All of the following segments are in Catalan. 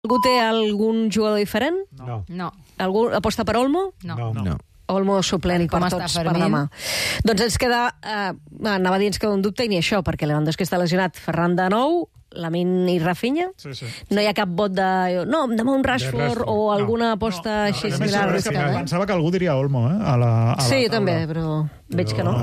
Algú té algun jugador diferent? No. Algú aposta per Olmo? No. Olmo suplent per tots per demà. Doncs ens queda... anava a dir ens queda un dubte i ni això, perquè Lewandowski està lesionat. Ferran de nou, Lamine i Rafinha. Sí. No hi ha cap vot de... No, demà un Rashford o alguna aposta així similar. Pensava que algú diria Olmo, Sí, jo també, però veig que no.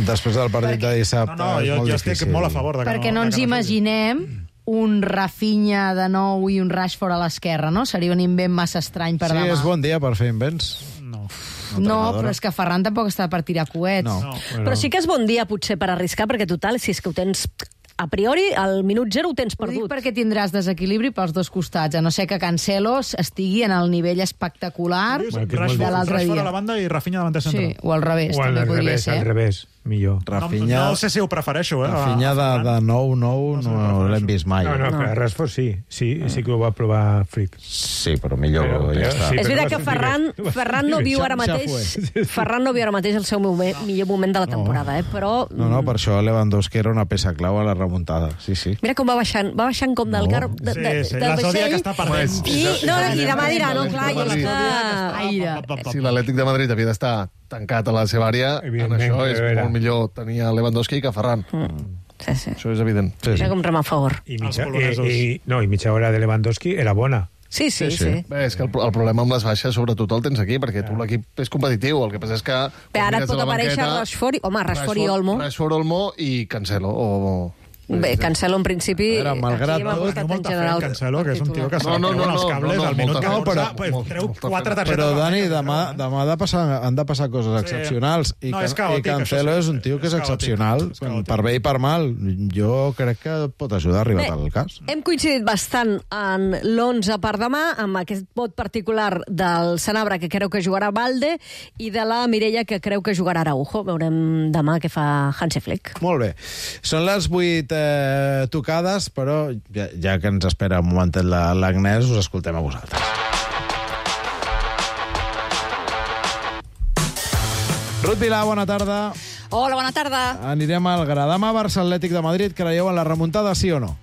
Després del partit de dissabte és molt difícil. Jo estic molt a favor de que perquè no ens imaginem un Rafinha de nou i un Rashford a l'esquerra, no? Seria un invent massa estrany per demà. Sí, és bon dia per fer invents. No, però és que Ferran tampoc està per tirar coets. Però sí que és bon dia, potser, per arriscar, perquè total, si és que ho tens... A priori, al minut 0 ho tens Ho dic perdut. perquè tindràs desequilibri pels dos costats, a no ser que Cancelo estigui en el nivell espectacular de l'altre Rashford dia. a la banda i Rafinha davanter central. Sí, o al revés, també podria ser. Al revés, millor. Rafinha, no sé si ho prefereixo, Rafinha de 9-9 no l'hem vist mai. No, però Rashford sí que ho va provar Frick. Sí, però millor ja està. És veritat que Ferran no viu ara mateix el seu millor moment de la temporada, però... No, per això Lewandowski era una peça clau a la remuntada. Sí. Mira com va baixant com del car del la Zodiac està perdent. I demà dirà, no, clar, i és que... Si l'Atlètic de Madrid havia d'estar tancat a la seva àrea, en això és molt millor tenir a Lewandowski que Ferran. Sí. Això és evident. Mira com rema a favor. I mitja hora de Lewandowski era bona. Sí. Bé, és que el problema amb les baixes sobretot el tens aquí, perquè tu l'equip és competitiu. El que passa és que... Bé, ara et pot aparèixer Rashford i Olmo. Rashford, Olmo i Cancelo. Bé, Cancelo en principi... malgrat tot, molta fe en Cancelo, que és un tio que se treuen els cables al minut que treu 4 targetes. Però, Dani, demà han de passar coses excepcionals. I Cancelo és un tio que és excepcional, per bé i per mal. Jo crec que pot ajudar a arribar al cas. Hem coincidit bastant en l'11 per demà, amb aquest vot particular del Sanabria, que creu que jugarà Balde, i de la Mireia, que creu que jugarà Araujo. Veurem demà què fa Hansi Flick. Molt bé. Són les 8 tocades, però ja que ens espera un momentet l'Agnès, us escoltem a vosaltres. Ruth Vilà, bona tarda. Hola, bona tarda. Anirem al gra. Demà Barça Atlètic de Madrid, creieu en la remuntada, sí o no?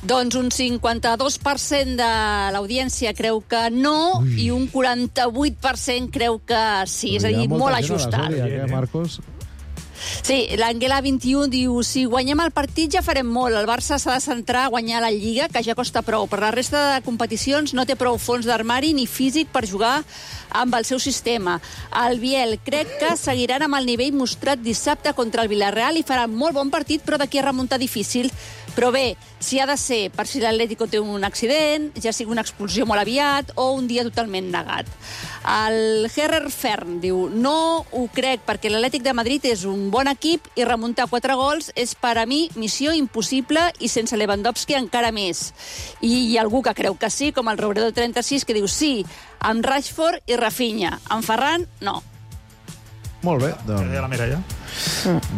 Doncs un 52% de l'audiència creu que no i un 48% creu que sí. És a dir, molt ajustat. Marcos? Sí, l'Anguela 21 diu si guanyem el partit ja farem molt. El Barça s'ha de centrar a guanyar la Lliga, que ja costa prou. Per la resta de competicions no té prou fons d'armari ni físic per jugar amb el seu sistema. El Biel crec que seguiran amb el nivell mostrat dissabte contra el Villarreal i faran molt bon partit, però d'aquí a remuntar difícil. Però bé, si ha de ser per si l'Atlético té un accident, ja sigui una expulsió molt aviat o un dia totalment negat. El Herrer Fern diu no ho crec perquè l'Atlètic de Madrid és un bon equip i remuntar 4 gols és per a mi missió impossible i sense Lewandowski encara més. I hi ha algú que creu que sí, com el Robredo 36, que diu sí, amb Rashford i Rafinha. Amb Ferran, no. Molt bé, La Mireia.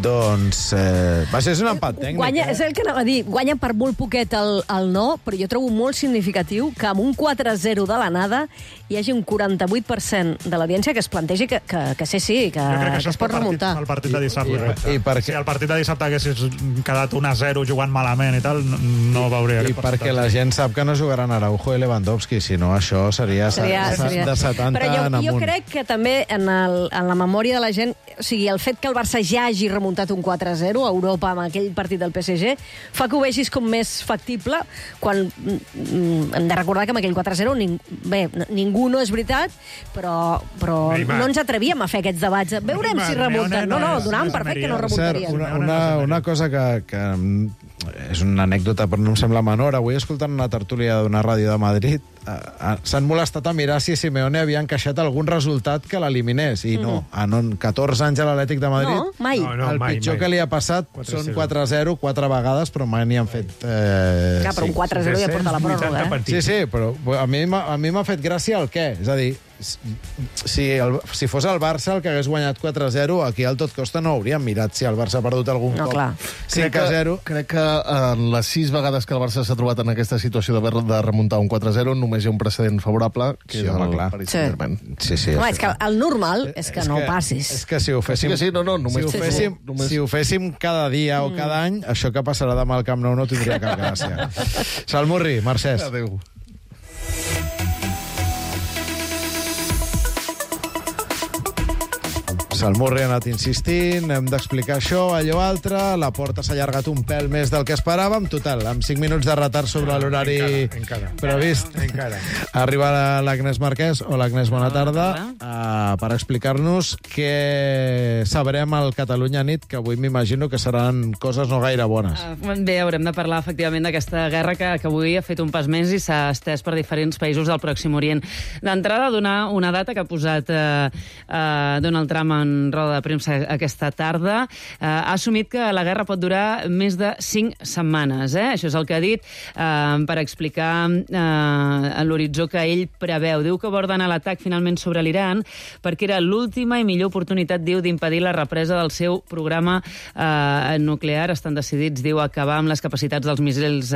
Vaja, és un empat tècnic. És el que anava a dir. Guanya per molt poquet el no, però jo trobo molt significatiu que amb un 4-0 de la nada hi hagi un 48% de l'audiència que es plantegi que sí, que es pot remuntar. El partit de dissabte. Si el partit de dissabte haguessis quedat 1-0 jugant malament i tal, no veuria I perquè la gent sap que no jugaran Araujo i Lewandowski, si no això seria de 70 en amunt. Però jo crec que també en la memòria de la gent, o sigui, el fet que el Barça ja hagi remuntat un 4-0 a Europa amb aquell partit del PSG fa que ho vegis com més factible quan hem de recordar que amb aquell 4-0 ningú no és veritat, però no ens atrevíem a fer aquests debats. Veurem si remunten. No, donàvem per fet que no remuntarien. Una cosa que és una anècdota, però no em sembla menor. Avui, escoltant una tertúlia d'una ràdio de Madrid, s'han molestat a mirar si Simeone havia encaixat algun resultat que l'eliminés. I no. En 14 anys a l'Atlètic de Madrid, No, mai. el pitjor que li ha passat són 4-0, 4 vegades, però mai n'hi han fet... Clar, però un 4-0 ja porta la pròrroga, Sí, però a mi m'ha fet gràcia el què. És a dir, si fos el Barça el que hagués guanyat 4-0, aquí al tot costa no hauríem mirat si el Barça ha perdut algun cop. 5-0. Crec que en les 6 vegades que el Barça s'ha trobat en aquesta situació de remuntar un 4-0 només hi ha un precedent favorable, que és el Paris Saint-Germain. És que el normal és que no ho passis. És que si ho féssim... Si ho féssim cada dia o cada any, això que passarà demà al Camp Nou no tindria cap gràcia. Salmurri, Mercès. Adéu. el Murri ha anat insistint, hem d'explicar això, allò altre, la porta s'ha allargat un pèl més del que esperàvem, total, amb 5 minuts de retard sobre l'horari previst. Arriba l'Agnès Marquès. Hola, Agnès, bona tarda. Per explicar-nos què sabrem al Catalunya Nit, que avui m'imagino que seran coses no gaire bones. Bé, haurem de parlar, efectivament, d'aquesta guerra que avui ha fet un pas més i s'ha estès per diferents països del Pròxim Orient. D'entrada, donar una data que ha posat Donald Trump en roda de premsa aquesta tarda. Ha assumit que la guerra pot durar més de 5 setmanes. Això és el que ha dit per explicar l'horitzó que ell preveu. Diu que va ordenar l'atac finalment sobre l'Iran perquè era l'última i millor oportunitat, diu, d'impedir la represa del seu programa nuclear. Estan decidits, diu, a acabar amb les capacitats dels míssils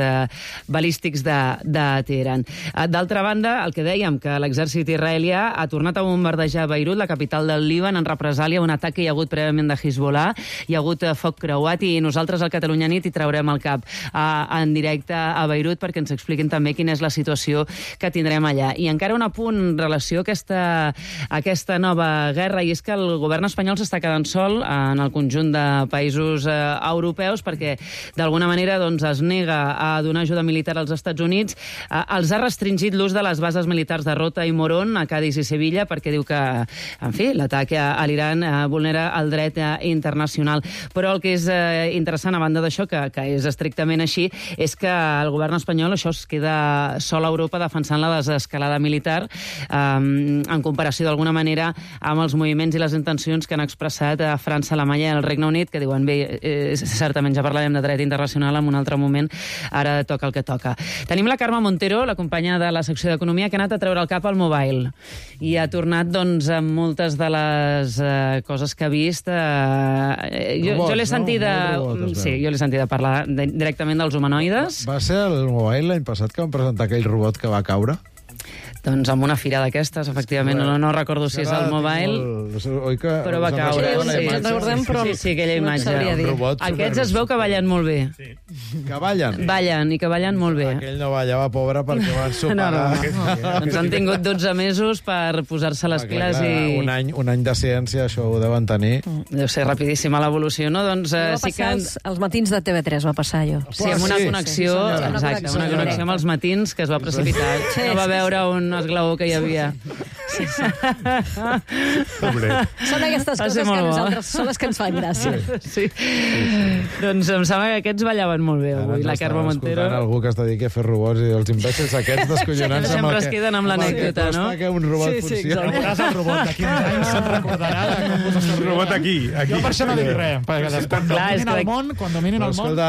balístics de Teheran. D'altra banda, el que dèiem, que l'exèrcit israelià ha tornat a bombardejar Beirut, la capital del Líban, en represàlia a un atac que hi ha hagut prèviament de Hezbollah. Hi ha hagut foc creuat i nosaltres al Catalunya Nit hi traurem el cap en directe a Beirut perquè ens expliquin també quina és la situació que tindrem allà. I encara un apunt en relació a aquesta nova guerra, i és que el govern espanyol s'està quedant sol en el conjunt de països europeus perquè d'alguna manera es nega a donar ajuda militar als Estats Units. Els ha restringit l'ús de les bases militars de Rota i Morón a Cádiz i Sevilla perquè diu que, en fi, l'atac a l'Iran vulnera el dret internacional. Però el que és interessant, a banda d'això, que és estrictament així, és que el govern espanyol això es queda sol a Europa defensant la desescalada militar en comparació d'alguna manera amb els moviments i les intencions que han expressat a França, Alemanya i el Regne Unit, que diuen, bé, certament ja parlarem de dret internacional en un altre moment, ara toca el que toca. Tenim la Carme Montero, la companya de la secció d'Economia, que ha anat a treure el cap al Mobile i ha tornat, amb moltes de les coses que ha vist. Jo l'he sentida... Sí, jo l'he sentida parlar directament dels humanoides. Va ser el Mobile l'any passat que van presentar aquell robot que va caure? Doncs amb una fira d'aquestes, efectivament, no recordo si és el Mobile, però va caure. Sí, aquella imatge. Aquests es veu que ballen molt bé. Que ballen? Ballen, i que ballen molt bé. Aquell no ballava, pobre, perquè van superar. Doncs han tingut 12 mesos per posar-se les piles i... Un any de ciència, això ho deuen tenir. Deu ser rapidíssima l'evolució, no? Doncs sí que... Els matins de TV3 va passar, allò. Sí, amb una connexió, exacte, una connexió amb els matins que es va precipitar. No va veure un esglaó que hi havia. Són aquestes coses que nosaltres són les que ens fan gràcia. Sí. Doncs em sembla que aquests ballaven molt bé avui, la Carme Montero. Algú que es dediqui a fer robots i els imbècils aquests descollonants amb el que... Sempre es queden amb l'anècdota, no? Que un robot funciona. Veuràs el robot d'aquí uns anys, se'n recordarà de com posar el robot aquí. Jo per això no dic res, perquè quan dominin el món... Escolta,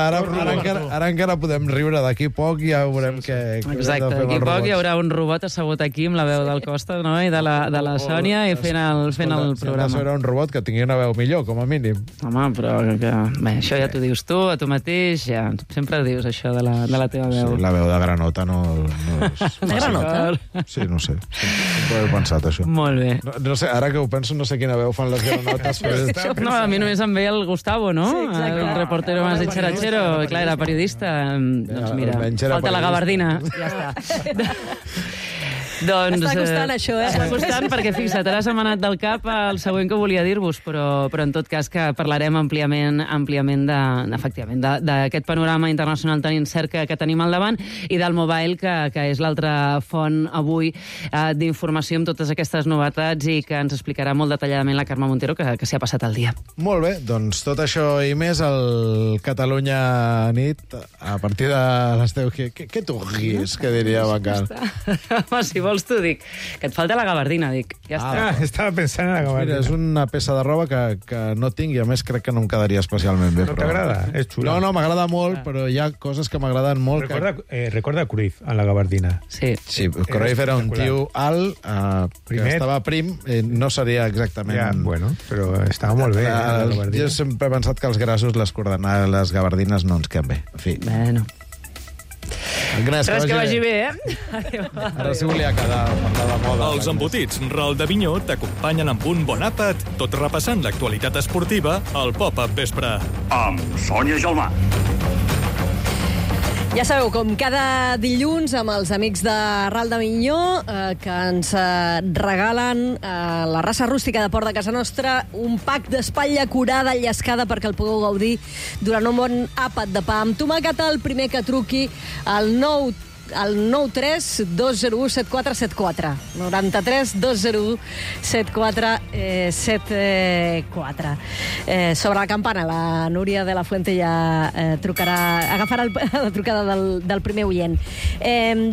ara encara podem riure, d'aquí poc ja veurem què... Exacte, d'aquí poc hi haurà un robot assegut aquí amb la veu del Costa, no? I de la Sònia i fent el programa. Serà un robot que tingui una veu millor, com a mínim. Home, però bé, això ja t'ho dius tu, a tu mateix, ja sempre dius això de la teva veu. Sí, la veu de granota no és... De granota? Sí, no sé. Sempre he pensat això. Molt bé. No sé, ara que ho penso, no sé quina veu fan les granotes. No, a mi només em ve el Gustavo, no? Sí, exacte. El reportero más de Cherachero. Clar, era periodista. Doncs mira, falta la gabardina. Ja està. Doncs, està costant això, Està costant perquè, fixa't, ara se m'ha anat del cap el següent que volia dir-vos, però en tot cas que parlarem àmpliament efectivament, d'aquest panorama internacional tan incert que tenim al davant i del Mobile, que és l'altra font avui d'informació amb totes aquestes novetats i que ens explicarà molt detalladament la Carme Montero, que s'hi ha passat el dia. Molt bé, doncs tot això i més al Catalunya Nit a partir de les 10. Què tu guis, que diria Bacal? Home, si vols t'ho dic. Que et falta la gabardina, dic. Ja està. Estava pensant en la gabardina. Mira, és una peça de roba que no tinc i a més crec que no em quedaria especialment bé. No t'agrada? És xula. No, m'agrada molt, però hi ha coses que m'agraden molt. Recorda Cruyff en la gabardina. Sí, Cruyff era un tio alt, que estava prim, no seria exactament... Ja, bueno, però estava molt bé. Jo sempre he pensat que els grassos, les coordenades, les gabardines no ens queden bé. En fi. Bueno. Res, que vagi bé, Ara sí volia quedar a parlar de moda. Els embotits Ral de Vinyó t'acompanyen amb un bon àpat, tot repassant l'actualitat esportiva al Pop-Up Vespre. Amb Sònia Gelmà. Ja sabeu, com cada dilluns amb els amics de Ral de Minyó, que ens regalen la raça rústica de Port de casa nostra un pack d'espatlla curada, llescada, perquè el pugueu gaudir durant un bon àpat de pa amb tomàquet. El primer que truqui al 93 201 7474. 93 201 7474. Sobre la campana, la Núria de la Fuente ja agafarà la trucada del primer oient.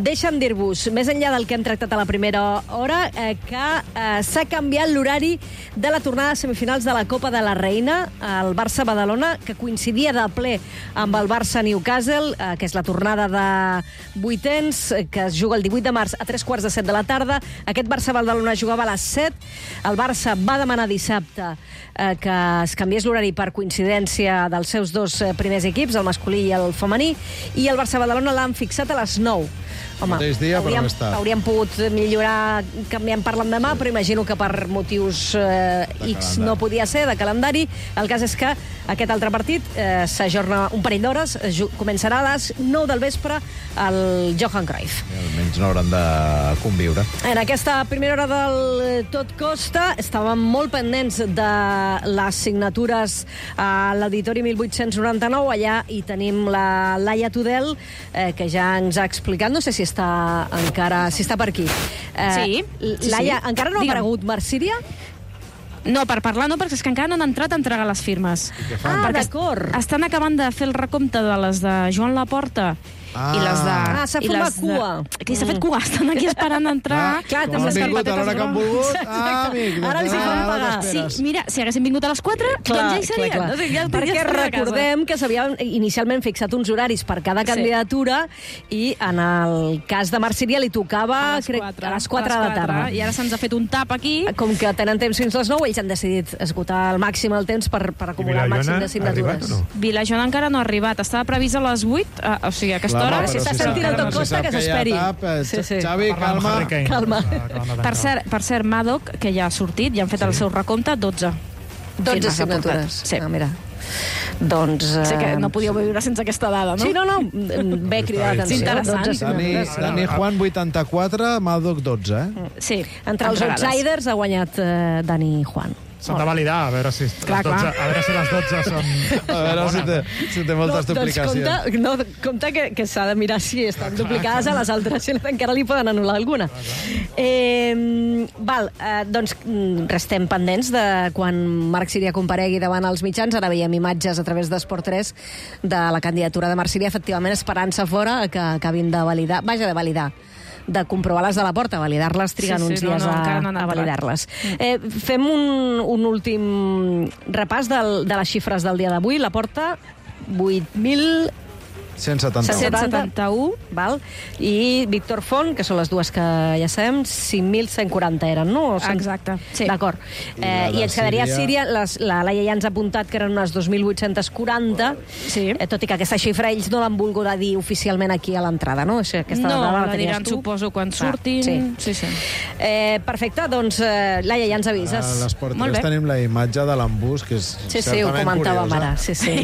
Deixa'm dir-vos, més enllà del que hem tractat a la primera hora, que s'ha canviat l'horari de la tornada de semifinals de la Copa de la Reina al Barça-Badalona, que coincidia de ple amb el Barça-Newcastle, que és la tornada de 8 que es juga el 18 de març a 3:15 de la tarda. Aquest Barça-Badalona jugava a les 7. El Barça va demanar dissabte que es canviés l'horari per coincidència dels seus dos primers equips, el masculí i el femení, i el Barça-Badalona l'han fixat a les 9. Home, hauríem pogut millorar canviant per l'endemà, però imagino que per motius X no podia ser, de calendari. El cas és que aquest altre partit s'ajorna un parell d'hores, començarà a les 9 del vespre al Johan Cruyff. Almenys no hauran de conviure. En aquesta primera hora del Tot Costa estàvem molt pendents de les signatures a l'Auditori 1899. Allà hi tenim la Laia Tudel, que ja ens ha explicat, no sé si està per aquí. Sí. Laia, encara no ha aparegut Marc Síria? No, per parlar no, perquè és que encara no han entrat a entregar les firmes. D'acord. Estan acabant de fer el recompte de les de Joan Laporta i les de... s'ha format cua. Que s'ha fet cua, estan aquí esperant entrar. Clar, com han vingut a l'hora que han volgut. Amic, ara ens hi fan pagar. Sí, mira, si haguessin vingut a les 4, doncs ja hi serien. Clar. No sé, ja perquè recordem que s'havien inicialment fixat uns horaris per cada candidatura i en el cas de Marc Síria li tocava a les 4 de la tarda. I ara se'ns ha fet un tap aquí. Com que tenen temps fins les 9, ells han decidit esgotar al màxim el temps per acumular el màxim de signatures. Vilajoana encara no ha arribat. Estava previst a les 8, o sigui, a aquesta hora. Si està sentint el Tot Costa, que s'esperi. Xavi, calma. Per cert, Madoc, que ja ha sortit, ja han fet el seu recompte, 12. 12 signatures. Sí. Mira. Doncs... Sé que no podíeu viure sense aquesta dada, no? Sí, no. Bé cridar l'atenció. Dani Juan, 84, Madoc, 12. Sí. Entre els outsiders ha guanyat Dani Juan. S'han de validar, a veure si les 12 són... A veure si té moltes duplicacions. Compte que s'ha de mirar si estan duplicades a les altres, si encara li poden anul·lar alguna. Doncs restem pendents de quan Marc Síria comparegui davant els mitjans. Ara veiem imatges a través d'Esport 3 de la candidatura de Marc Síria, efectivament esperant-se fora que acabin de validar, de comprovar-les de la porta, validar-les, triguen uns dies a validar-les. Fem un últim repàs de les xifres del dia d'avui. La porta, 8.171. 171. Val? I Víctor Font, que són les dues que ja sabem, 5.140 eren, no? Exacte, sí. D'acord. I ens quedaria Síria, la Laia ja ens ha apuntat que eren unes 2.840, tot i que aquesta xifra ells no l'han volgut dir oficialment aquí a l'entrada, no? No, la diran, suposo, quan surtin. Sí. Perfecte, doncs, Laia, ja ens avises. A l'Esport 3 tenim la imatge de l'embús, que és certament curiosa. Sí.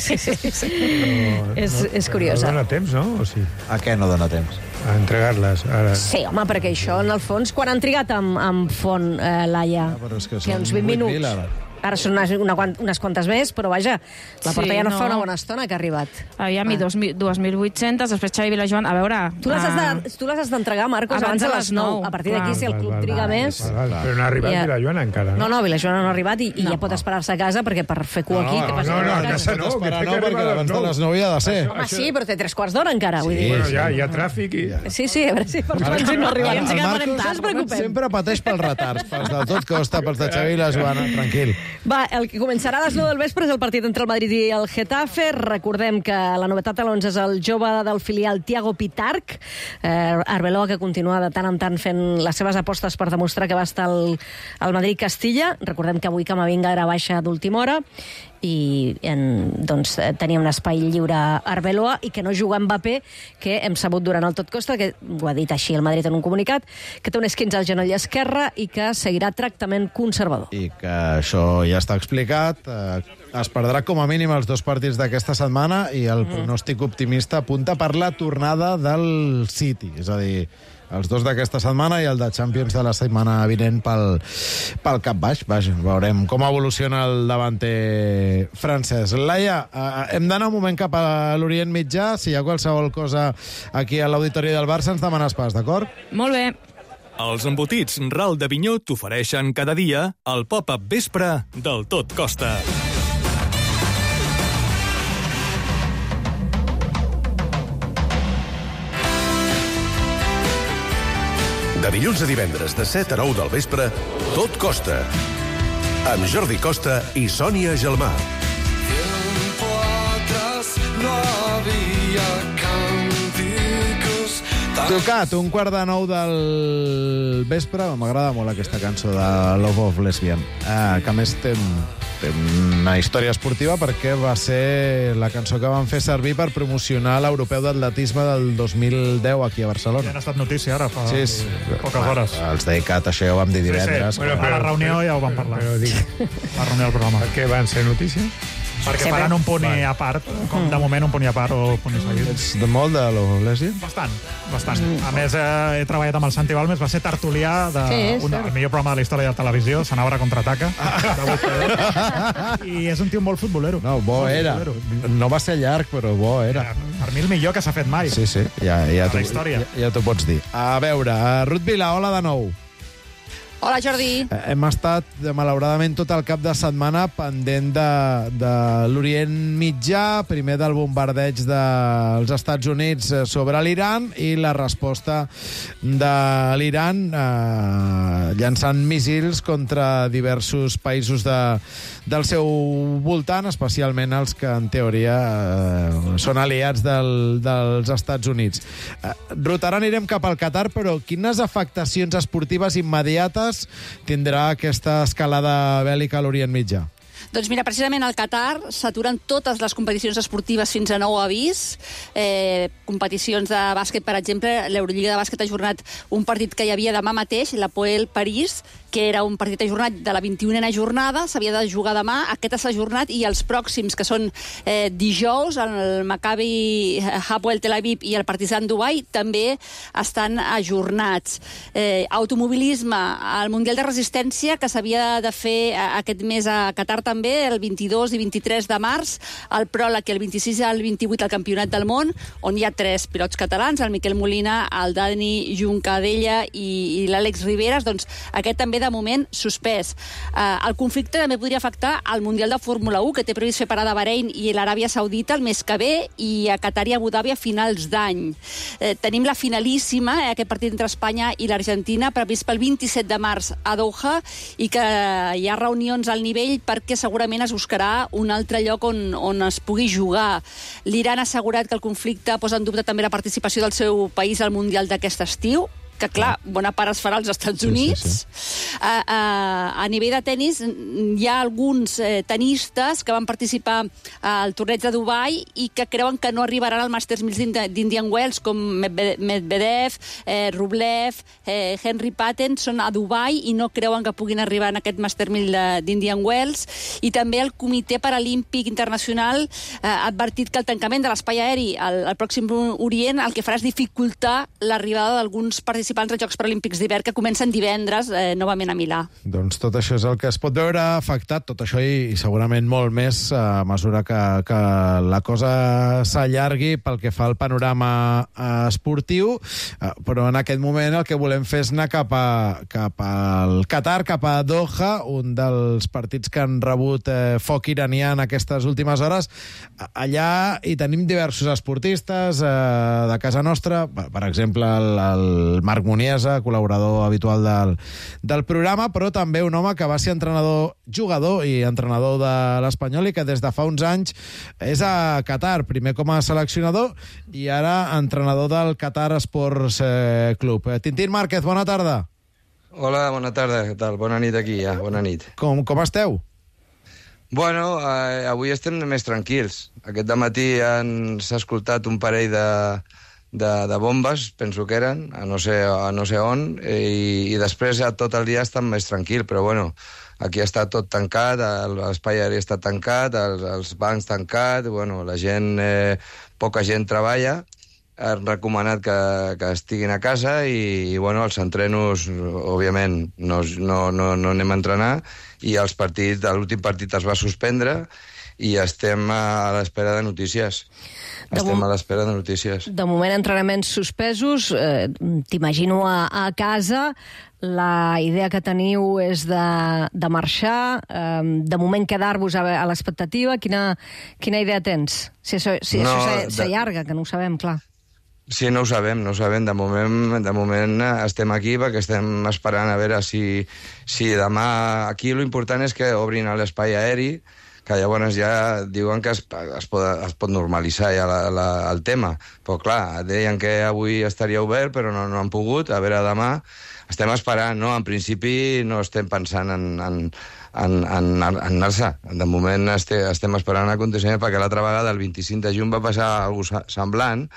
És curiós. No dona temps, no? O sí? A què no dona temps? A entregar-les. Ara. Sí, home, perquè això, en el fons, quan han trigat amb Font, Laia? Que uns 20 minuts. Ara són unes quantes més, però vaja, la porta ja no fa una bona estona que ha arribat. Aviam, 2.800, després Xavi Vilajoan, a veure... Tu les has d'entregar, Marcos, abans de les 9. A partir d'aquí, si el club triga més... Però no ha arribat Vilajoan encara. No, Vilajoan no ha arribat i ja pot esperar-se a casa, perquè per fer cua aquí... No, a casa no, perquè abans de les 9 ja ha de ser. Home, sí, però té 3/4 d'hora encara, vull dir. Bueno, ja hi ha tràfic i... Sí, a veure si per quan no arriba. El Marcos sempre pateix pels retards, pels de Tot Costa, pels de Xavi i la Joana, tranquil. Va, el que començarà a les 9 del vespre és el partit entre el Madrid i el Getafe. Recordem que la novetat a l'11 és el jove del filial Thiago Pitarch, Arbeloa, que continua de tant en tant fent les seves apostes per demostrar que va estar al Madrid-Castilla. Recordem que avui Camavinga era baixa d'última hora. i doncs, tenia un espai lliure a Arbeloa i que no juga Mbappé, que hem sabut durant el tot costa, que ho ha dit així el Madrid en un comunicat, que té un esquinç al genoll esquerre i que seguirà tractament conservador. I que això ja està explicat. Es perdrà com a mínim els 2 partits d'aquesta setmana i el pronòstic optimista apunta per la tornada del City, és a dir, els 2 d'aquesta setmana i el de Champions de la setmana vinent pel cap baix. Vaja, veurem com evoluciona el davanter francès. Laia, hem d'anar un moment cap a l'Orient Mitjà. Si hi ha qualsevol cosa aquí a l'Auditori del Barça, ens demanes pas, d'acord? Molt bé. Els embotits Ral d'Avinyó t'ofereixen cada dia el pop-up vespre del Tot Costa. De dilluns a divendres, de 7 a 9 del vespre, Tot Costa. Amb Jordi Costa i Sònia Gelmà. Tocat, 8:45 del vespre. M'agrada molt aquesta cançó de Love of Lesbian, que a més té una història esportiva perquè va ser la cançó que van fer servir per promocionar l'Europeu d'Atletisme del 2010 aquí a Barcelona. Ja ha estat notícia ara, fa poques hores. Els d'ICAT, això ja ho vam dir divendres. Sí. A la reunió ja ho vam parlar. A la reunió del programa. Per què van ser notícia? Perquè faran un punt a part, com de moment un punt a part o punt seguit. Ets de molt de Love of Lesbian? Bastant. A més, he treballat amb el Santi Balmes, va ser tertulià del millor programa de la història de televisió, Sanabra Contraataca, i és un tio molt futbolero. No, bo era. No va ser llarg, però bo era. Per mi el millor que s'ha fet mai. Sí, ja t'ho pots dir. A veure, Ruth Vila, hola de nou. Hola, Jordi. Hem estat, malauradament, tot el cap de setmana pendent de l'Orient Mitjà, primer del bombardeig dels Estats Units sobre l'Iran i la resposta de l'Iran llançant míssils contra diversos països del seu voltant, especialment els que, en teoria, són aliats dels Estats Units. Ruth, ara anirem cap al Qatar, però quines afectacions esportives immediates tindrà aquesta escalada bèl·lica a l'Orient Mitjà? Doncs mira, precisament al Qatar s'aturen totes les competicions esportives fins a nou avís. Competicions de bàsquet, per exemple, l'Eurolliga de bàsquet ha ajornat un partit que hi havia demà mateix, l'Hapoel París, que era un partit ajornat de la 21a jornada, s'havia de jugar demà, aquest s'ha ajornat, i els pròxims, que són dijous, el Maccabi Hapoel Tel Aviv i el Partizan Dubai, també estan ajornats. Automobilisme, el Mundial de Resistència, que s'havia de fer aquest mes a Qatar també, el 22 i 23 de març, el pròleg i el 26 i el 28 al Campionat del Món, on hi ha 3 pilots catalans, el Miquel Molina, el Dani Juncadella i l'Àlex Riveras, doncs aquest també de moment suspès. El conflicte també podria afectar al Mundial de Fórmula 1, que té previst fer parada a Bahrein i l'Aràbia Saudita el mes que ve, i a Qatar i Abu Dhabi a finals d'any. Tenim la finalíssima, aquest partit entre Espanya i l'Argentina, previst pel 27 de març a Doha, i que hi ha reunions al nivell perquè segurament es buscarà un altre lloc on es pugui jugar. L'Iran ha assegurat que el conflicte posa en dubte també la participació del seu país al Mundial d'aquest estiu, que, clar, bona part es farà als Estats Units. A nivell de tennis, hi ha alguns tenistes que van participar al torneig de Dubai i que creuen que no arribaran al Masters 1000 d'Indian Wells, com Medvedev, Rublev, Henry Patton, són a Dubai i no creuen que puguin arribar en aquest Masters 1000 d'Indian Wells. I també el Comitè Paralímpic Internacional ha advertit que el tancament de l'espai aeri al Pròxim Orient el que farà és dificultar l'arribada d'alguns participants als Jocs Paralímpics d'hivern que comencen divendres novament a Milà. Doncs tot això és el que es pot veure afectat, tot això i segurament molt més a mesura que la cosa s'allargui pel que fa al panorama esportiu, però en aquest moment el que volem fer és anar cap al Qatar, cap a Doha, un dels partits que han rebut foc iranià en aquestes últimes hores. Allà hi tenim diversos esportistes de casa nostra, per exemple el Marc Muniesa, col·laborador habitual del programa, però també un home que va ser jugador i entrenador de l'Espanyol i que des de fa uns anys és a Qatar, primer com a seleccionador i ara entrenador del Qatar Sports Club. Tintín Márquez, bona tarda. Hola, bona tarda, què tal? Bona nit aquí, ja, bona nit. Com esteu? Bueno, avui estem més tranquils. Aquest dematí s'ha escoltat un parell de bombes, penso que eren, a no sé on, i després tot el dia estan més tranquil, però bueno, aquí està tot tancat, l'espai aeri està tancat, els bancs tancats, bueno, la gent, poca gent treballa, han recomanat que estiguin a casa i bueno, els entrenos, òbviament, no anem a entrenar i els partits, l'últim partit es va suspendre i estem a l'espera de notícies. Estem a l'espera de notícies. De moment, entrenaments suspesos. T'imagino a casa. La idea que teniu és de marxar. De moment, quedar-vos a l'expectativa. Quina idea tens? Si això s'allarga, que no ho sabem, clar. Sí, no ho sabem. De moment estem aquí perquè estem esperant a veure si demà... Aquí l'important és que obrin l'espai aeri, que llavors ja diuen que es pot normalitzar ja el tema. Però clar, deien que avui estaria obert, però no han pogut. A veure, demà estem esperant, no? En principi no estem pensant en anar-se. De moment estem esperant un aconteixement perquè l'altra vegada, el 25 de juny, va passar alguna cosa semblant,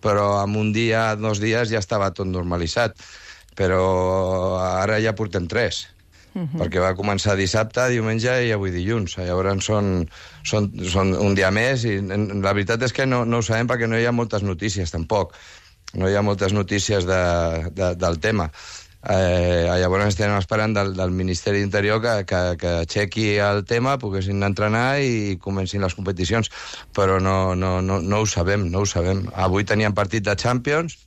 però en un dia, 2 dies, ja estava tot normalitzat. Però ara ja portem 3. Perquè va començar dissabte, diumenge i avui dilluns. Llavors són un dia més i la veritat és que no ho sabem perquè no hi ha moltes notícies, tampoc. No hi ha moltes notícies del tema. Llavors estem esperant del Ministeri d'Interior que aixequi el tema, poguessin entrenar i comencin les competicions. Però no ho sabem. Avui teníem partit de Champions,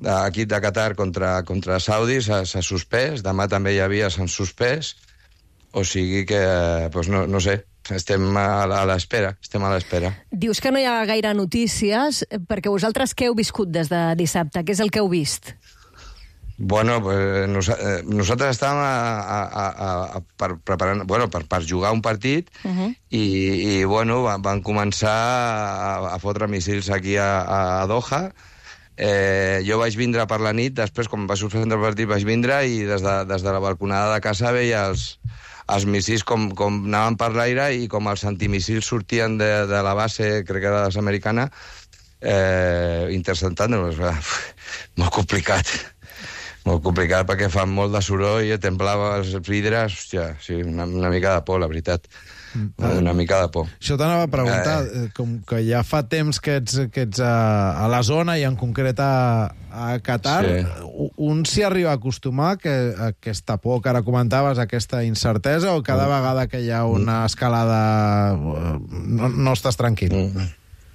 l'equip de Qatar contra Saudi s'ha suspès, demà també hi havia, s'han suspès, o sigui que, no sé, estem a l'espera. Dius que no hi ha gaire notícies, perquè vosaltres què heu viscut des de dissabte? Què és el que heu vist? Bueno, nosaltres estàvem preparant, per jugar un partit i bueno, van començar a fotre míssils aquí a Doha. Jo vaig vindre per la nit, després, quan va suspendre el partit, vaig vindre i des de la balconada de casa veia els míssils com anaven per l'aire i com els antimíssils sortien de la base, crec que era americana, interceptant-los. Molt complicat perquè fan molt de soroll i temblava els vidres. Hòstia, sí, una mica de por, la veritat. Una mica de por. Això t'anava a preguntar, com que ja fa temps que ets a la zona i en concret a Qatar, un s'hi arriba a acostumar a aquesta por que ara comentaves, aquesta incertesa, o cada vegada que hi ha una escalada no estàs tranquil?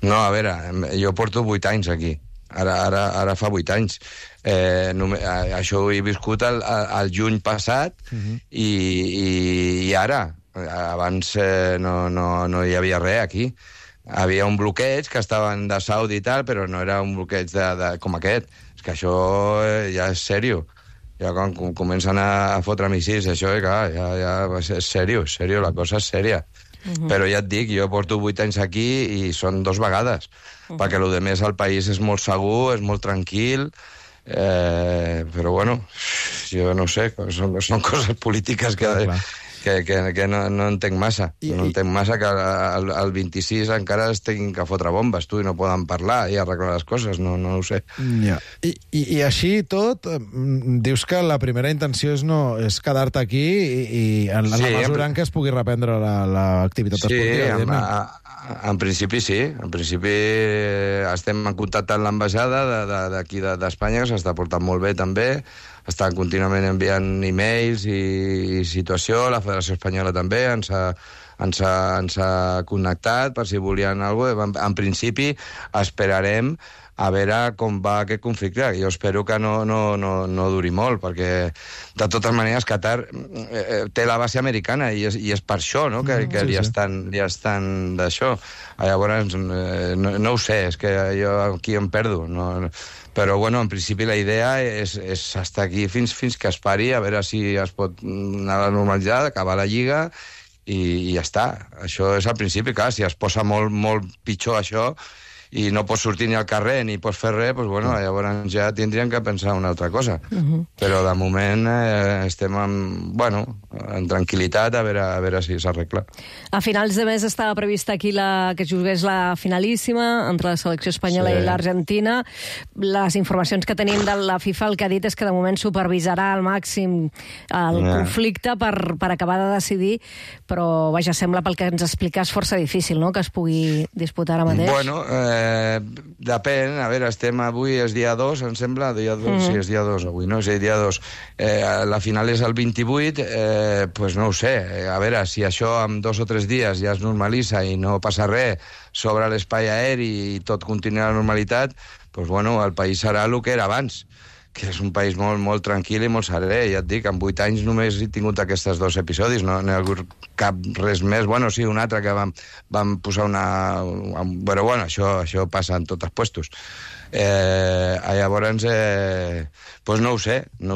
No, a veure, jo porto 8 anys aquí. Ara fa 8 anys. Això ho he viscut el juny passat i ara. Abans no hi havia res aquí. Havia un bloqueig que estaven de Saudi i tal, però no era un bloqueig com aquest. És que això ja és sèrio. Ja quan comencen a fotre míssils, això ja és sèrio, la cosa és sèria. Però ja et dic, jo porto 8 anys aquí i són 2 vegades, perquè el més al país és molt segur, és molt tranquil, però bueno, jo no sé, són coses polítiques que no entenc massa. No entenc massa que el 26 encara es tinguin que fotre bombes, i no poden parlar i arreglar les coses, no ho sé. I així tot, dius que la primera intenció és quedar-te aquí i en la mesura en què es pugui reprendre l'activitat esportiva. En principi sí. En principi estem en contacte amb l'ambaixada d'aquí d'Espanya, que s'està portant molt bé també. Estan contínuament enviant e-mails i situació. La Federació Espanyola també ens ha connectat per si volien alguna cosa. En principi esperarem a veure com va aquest conflicte. Jo espero que no duri molt, perquè de totes maneres Qatar té la base americana i és per això, no?, que li estan d'això. Llavors, no ho sé, és que jo aquí em perdo. Però, bueno, en principi la idea és estar aquí fins que es pari, a veure si es pot anar a la normalitat, acabar la Lliga i ja està. Això és al principi, clar, si es posa molt pitjor això i no pots sortir ni al carrer ni pots fer res, doncs, bueno, llavors ja tindríem que pensar una altra cosa. Però de moment estem en tranquil·litat a veure si s'arregla. A finals de mes estava prevista aquí que jugués la finalíssima entre la selecció espanyola i l'Argentina. Les informacions que tenim de la FIFA el que ha dit és que de moment supervisarà al màxim el conflicte per acabar de decidir, però vaja, sembla pel que ens expliques força difícil, no?, que es pugui disputar ara mateix. Bueno, depèn. A veure, estem avui, és dia 2, em sembla, sí, és dia 2 avui, no? Sí, dia 2. La final és el 28, pues no ho sé. A veure, si això en 2 o 3 dies ja es normalitza i no passa res sobre l'espai aeri i tot continua a la normalitat, pues bueno, el país serà el que era abans, que és un país molt, molt tranquil i molt serè. Ja et dic, en 8 anys només he tingut aquests 2 episodis, no n'hi ha hagut cap res més. Bueno, sí, un altre que vam posar Però bueno, això passa en tots els puestos. Llavors, doncs no ho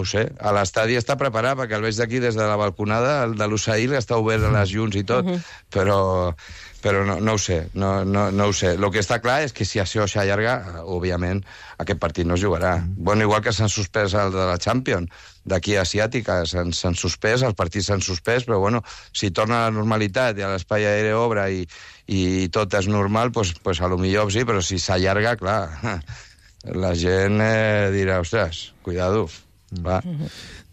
sé. A l'estadi està preparat, perquè el veig d'aquí des de la balconada, el de l'Usail està obert a les llums i tot, però no ho sé, no ho sé. El que està clar és que si això s'allarga, òbviament, aquest partit no es jugarà. Bueno, igual que s'han suspès el de la Champions, d'aquí asiàtica, s'han suspès, els partits s'han suspès, però bueno, si torna a la normalitat i a l'espai aeri obre i tot és normal, doncs a lo millor sí, però si s'allarga, clar, la gent dirà, ostres, cuidado, va.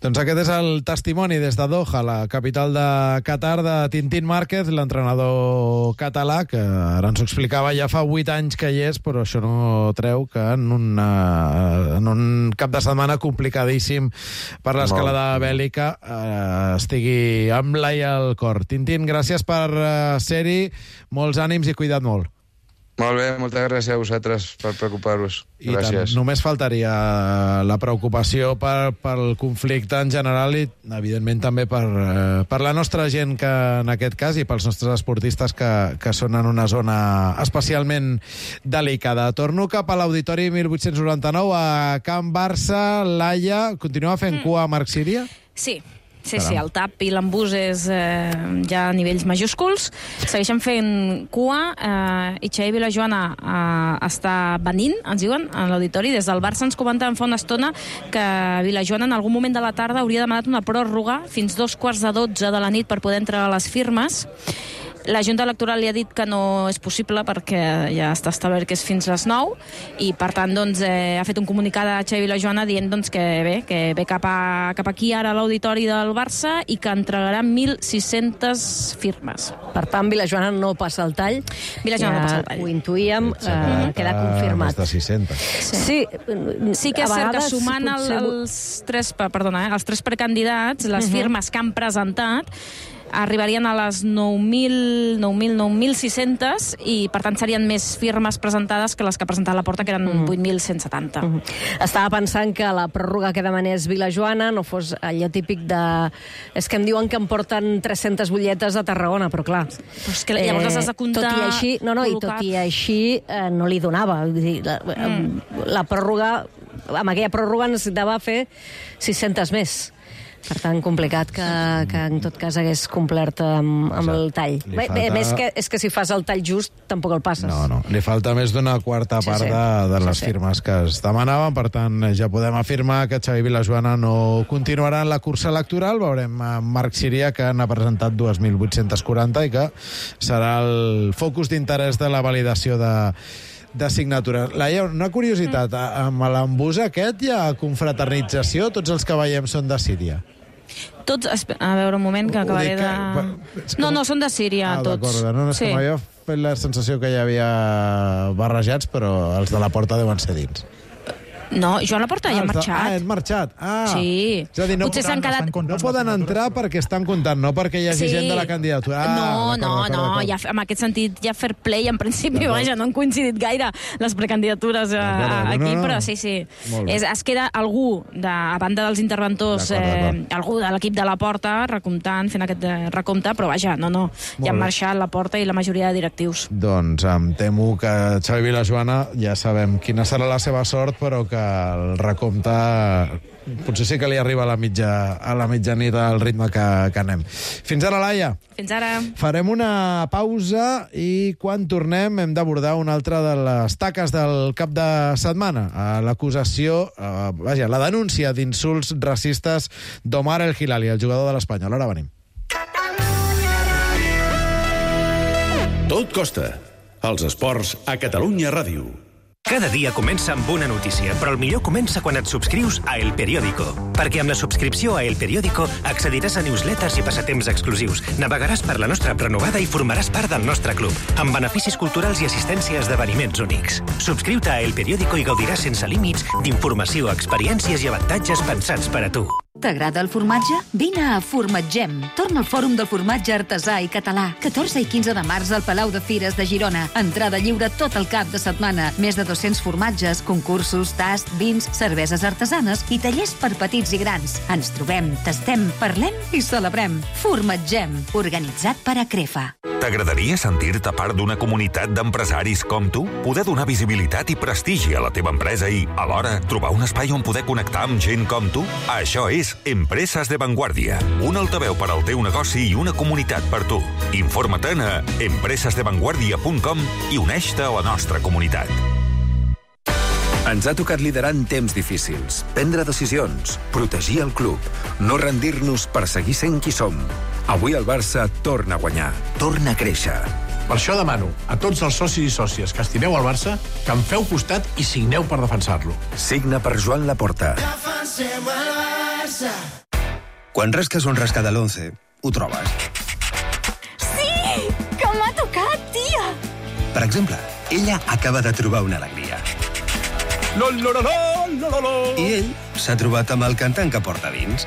Doncs aquest és el testimoni des de Doha, la capital de Qatar, de Tintín Márquez, l'entrenador català, que ara ens ho explicava, ja fa 8 anys que hi és, però això no treu que en un cap de setmana complicadíssim per l'escalada bèl·lica estigui amb l'ai al cor. Tintín, gràcies per ser-hi, molts ànims i cuida't molt. Molt bé, moltes gràcies a vosaltres per preocupar-vos. Gràcies. Només faltaria la preocupació pel conflicte en general i, evidentment, també per la nostra gent, que en aquest cas, i pels nostres esportistes que són en una zona especialment delicada. Torno cap a l'Auditori 1899 a Can Barça. Laia, continua fent cua a Marc Síria? Sí, el TAP i l'embús és ja a nivells majúsculs. Segueixen fent cua i Xavi Vilajoana està venint, ens diuen, a l'auditori. Des del Barça ens comentaven fa una estona que Vilajoana en algun moment de la tarda hauria demanat una pròrroga fins 2:45 de la nit per poder entregar les firmes. La Junta Electoral li ha dit que no és possible perquè ja està establert que és fins les 9 i, per tant, ha fet un comunicat a Xavi Vilajoana dient que ve cap aquí ara a l'auditori del Barça i que entregarà 1.600 firmes. Per tant, Vilajoana no passa el tall. Vilajoana no passa el tall. Ho intuïem, queda confirmat. Més de 600. Sí que és cert que sumant els tres precandidats, les firmes que han presentat, arribarien a les 9.600 i, per tant, serien més firmes presentades que les que ha presentat Laporta, que eren 8.170. Estava pensant que la pròrroga que demanés Vilajoana no fos allò típic de... És que em diuen que em porten 300 butlletes a Tarragona, però clar... Però és que llavors les has de comptar... Tot i així no li donava. La pròrroga... Amb aquella pròrroga necessitava fer 600 més. Per tant, complicat que en tot cas hagués complert amb el tall. És que si fas el tall just, tampoc el passes. No. Li falta més d'una quarta part de les firmes que es demanaven. Per tant, ja podem afirmar que Xavi Vilajoana no continuarà en la cursa electoral. Veurem Marc Síria, que n'ha presentat 2.840 i que serà el focus d'interès de la validació de signatures. Laia, una curiositat, amb l'embús aquest hi ha confraternització? Tots els que veiem són de Síria? Tots, a veure un moment, que acabaré de... No, són de Síria, tots. D'acord, no, és que m'havia fet la sensació que hi havia barrejats, però els de la Porta deuen ser dins. No, Joan Laporta ja ha marxat. És marxat. Sí. És a dir, no poden entrar perquè estan comptant, no perquè hi hagi gent de la candidatura. No, en aquest sentit hi ha fair play, en principi, vaja, no han coincidit gaire les precandidatures aquí, però sí. Es queda algú, a banda dels interventors, algú de l'equip de Laporta, recomptant, fent aquest recompte, però vaja, no. Ja han marxat Laporta i la majoria de directius. Doncs em temo que Xavi Vilajoana, ja sabem quina serà la seva sort, però que el recompte potser sí que li arriba a la mitjanit al ritme que anem. Fins ara, Laia. Fins ara. Farem una pausa i quan tornem hem d'abordar una altra de les taques del cap de setmana. L'acusació, la denúncia d'insults racistes d'Omar El Hilali, el jugador de l'Espanyol. Ara venim. Tot costa. Els esports a Catalunya Ràdio. Cada dia comença amb una notícia, però el millor comença quan et subscrius a El Periódico. Perquè amb la subscripció a El Periódico accediràs a newsletters i passatemps exclusius, navegaràs per la nostra app renovada i formaràs part del nostre club, amb beneficis culturals i assistència a esdeveniments únics. Subscriu-te a El Periódico i gaudiràs sense límits d'informació, experiències i avantatges pensats per a tu. T'agrada el formatge? Vine a Formatgem. Torna al Fòrum del Formatge Artesà i Català. 14 i 15 de març al Palau de Fires de Girona. Entrada lliure tot el cap de setmana. Més de 200 formatges, concursos, tasts, vins, cerveses artesanes i tallers per petits i grans. Ens trobem, tastem, parlem i celebrem. Formatgem, organitzat per Acrefa. T'agradaria sentir-te part d'una comunitat d'empresaris com tu? Poder donar visibilitat i prestigi a la teva empresa i, alhora, trobar un espai on poder connectar amb gent com tu? Això és Empreses de Vanguardia, un altaveu per al teu negoci i una comunitat per tu. Informa-te'n a empresesdevanguardia.com i uneix-te a la nostra comunitat. Ens ha tocat liderar en temps difícils, prendre decisions, protegir el club, no rendir-nos per seguir sent qui som. Avui el Barça torna a guanyar, torna a créixer. Per això demano a tots els socis i sòcies que estimeu el Barça que em feu costat i signeu per defensar-lo. Signa per Joan Laporta. Defensem el Barça. Quan rasques un rascat de l'11, ho trobes. Sí! Que m'ha tocat, tia! Per exemple, ella acaba de trobar una alegria. I ell s'ha trobat amb el cantant que porta dins.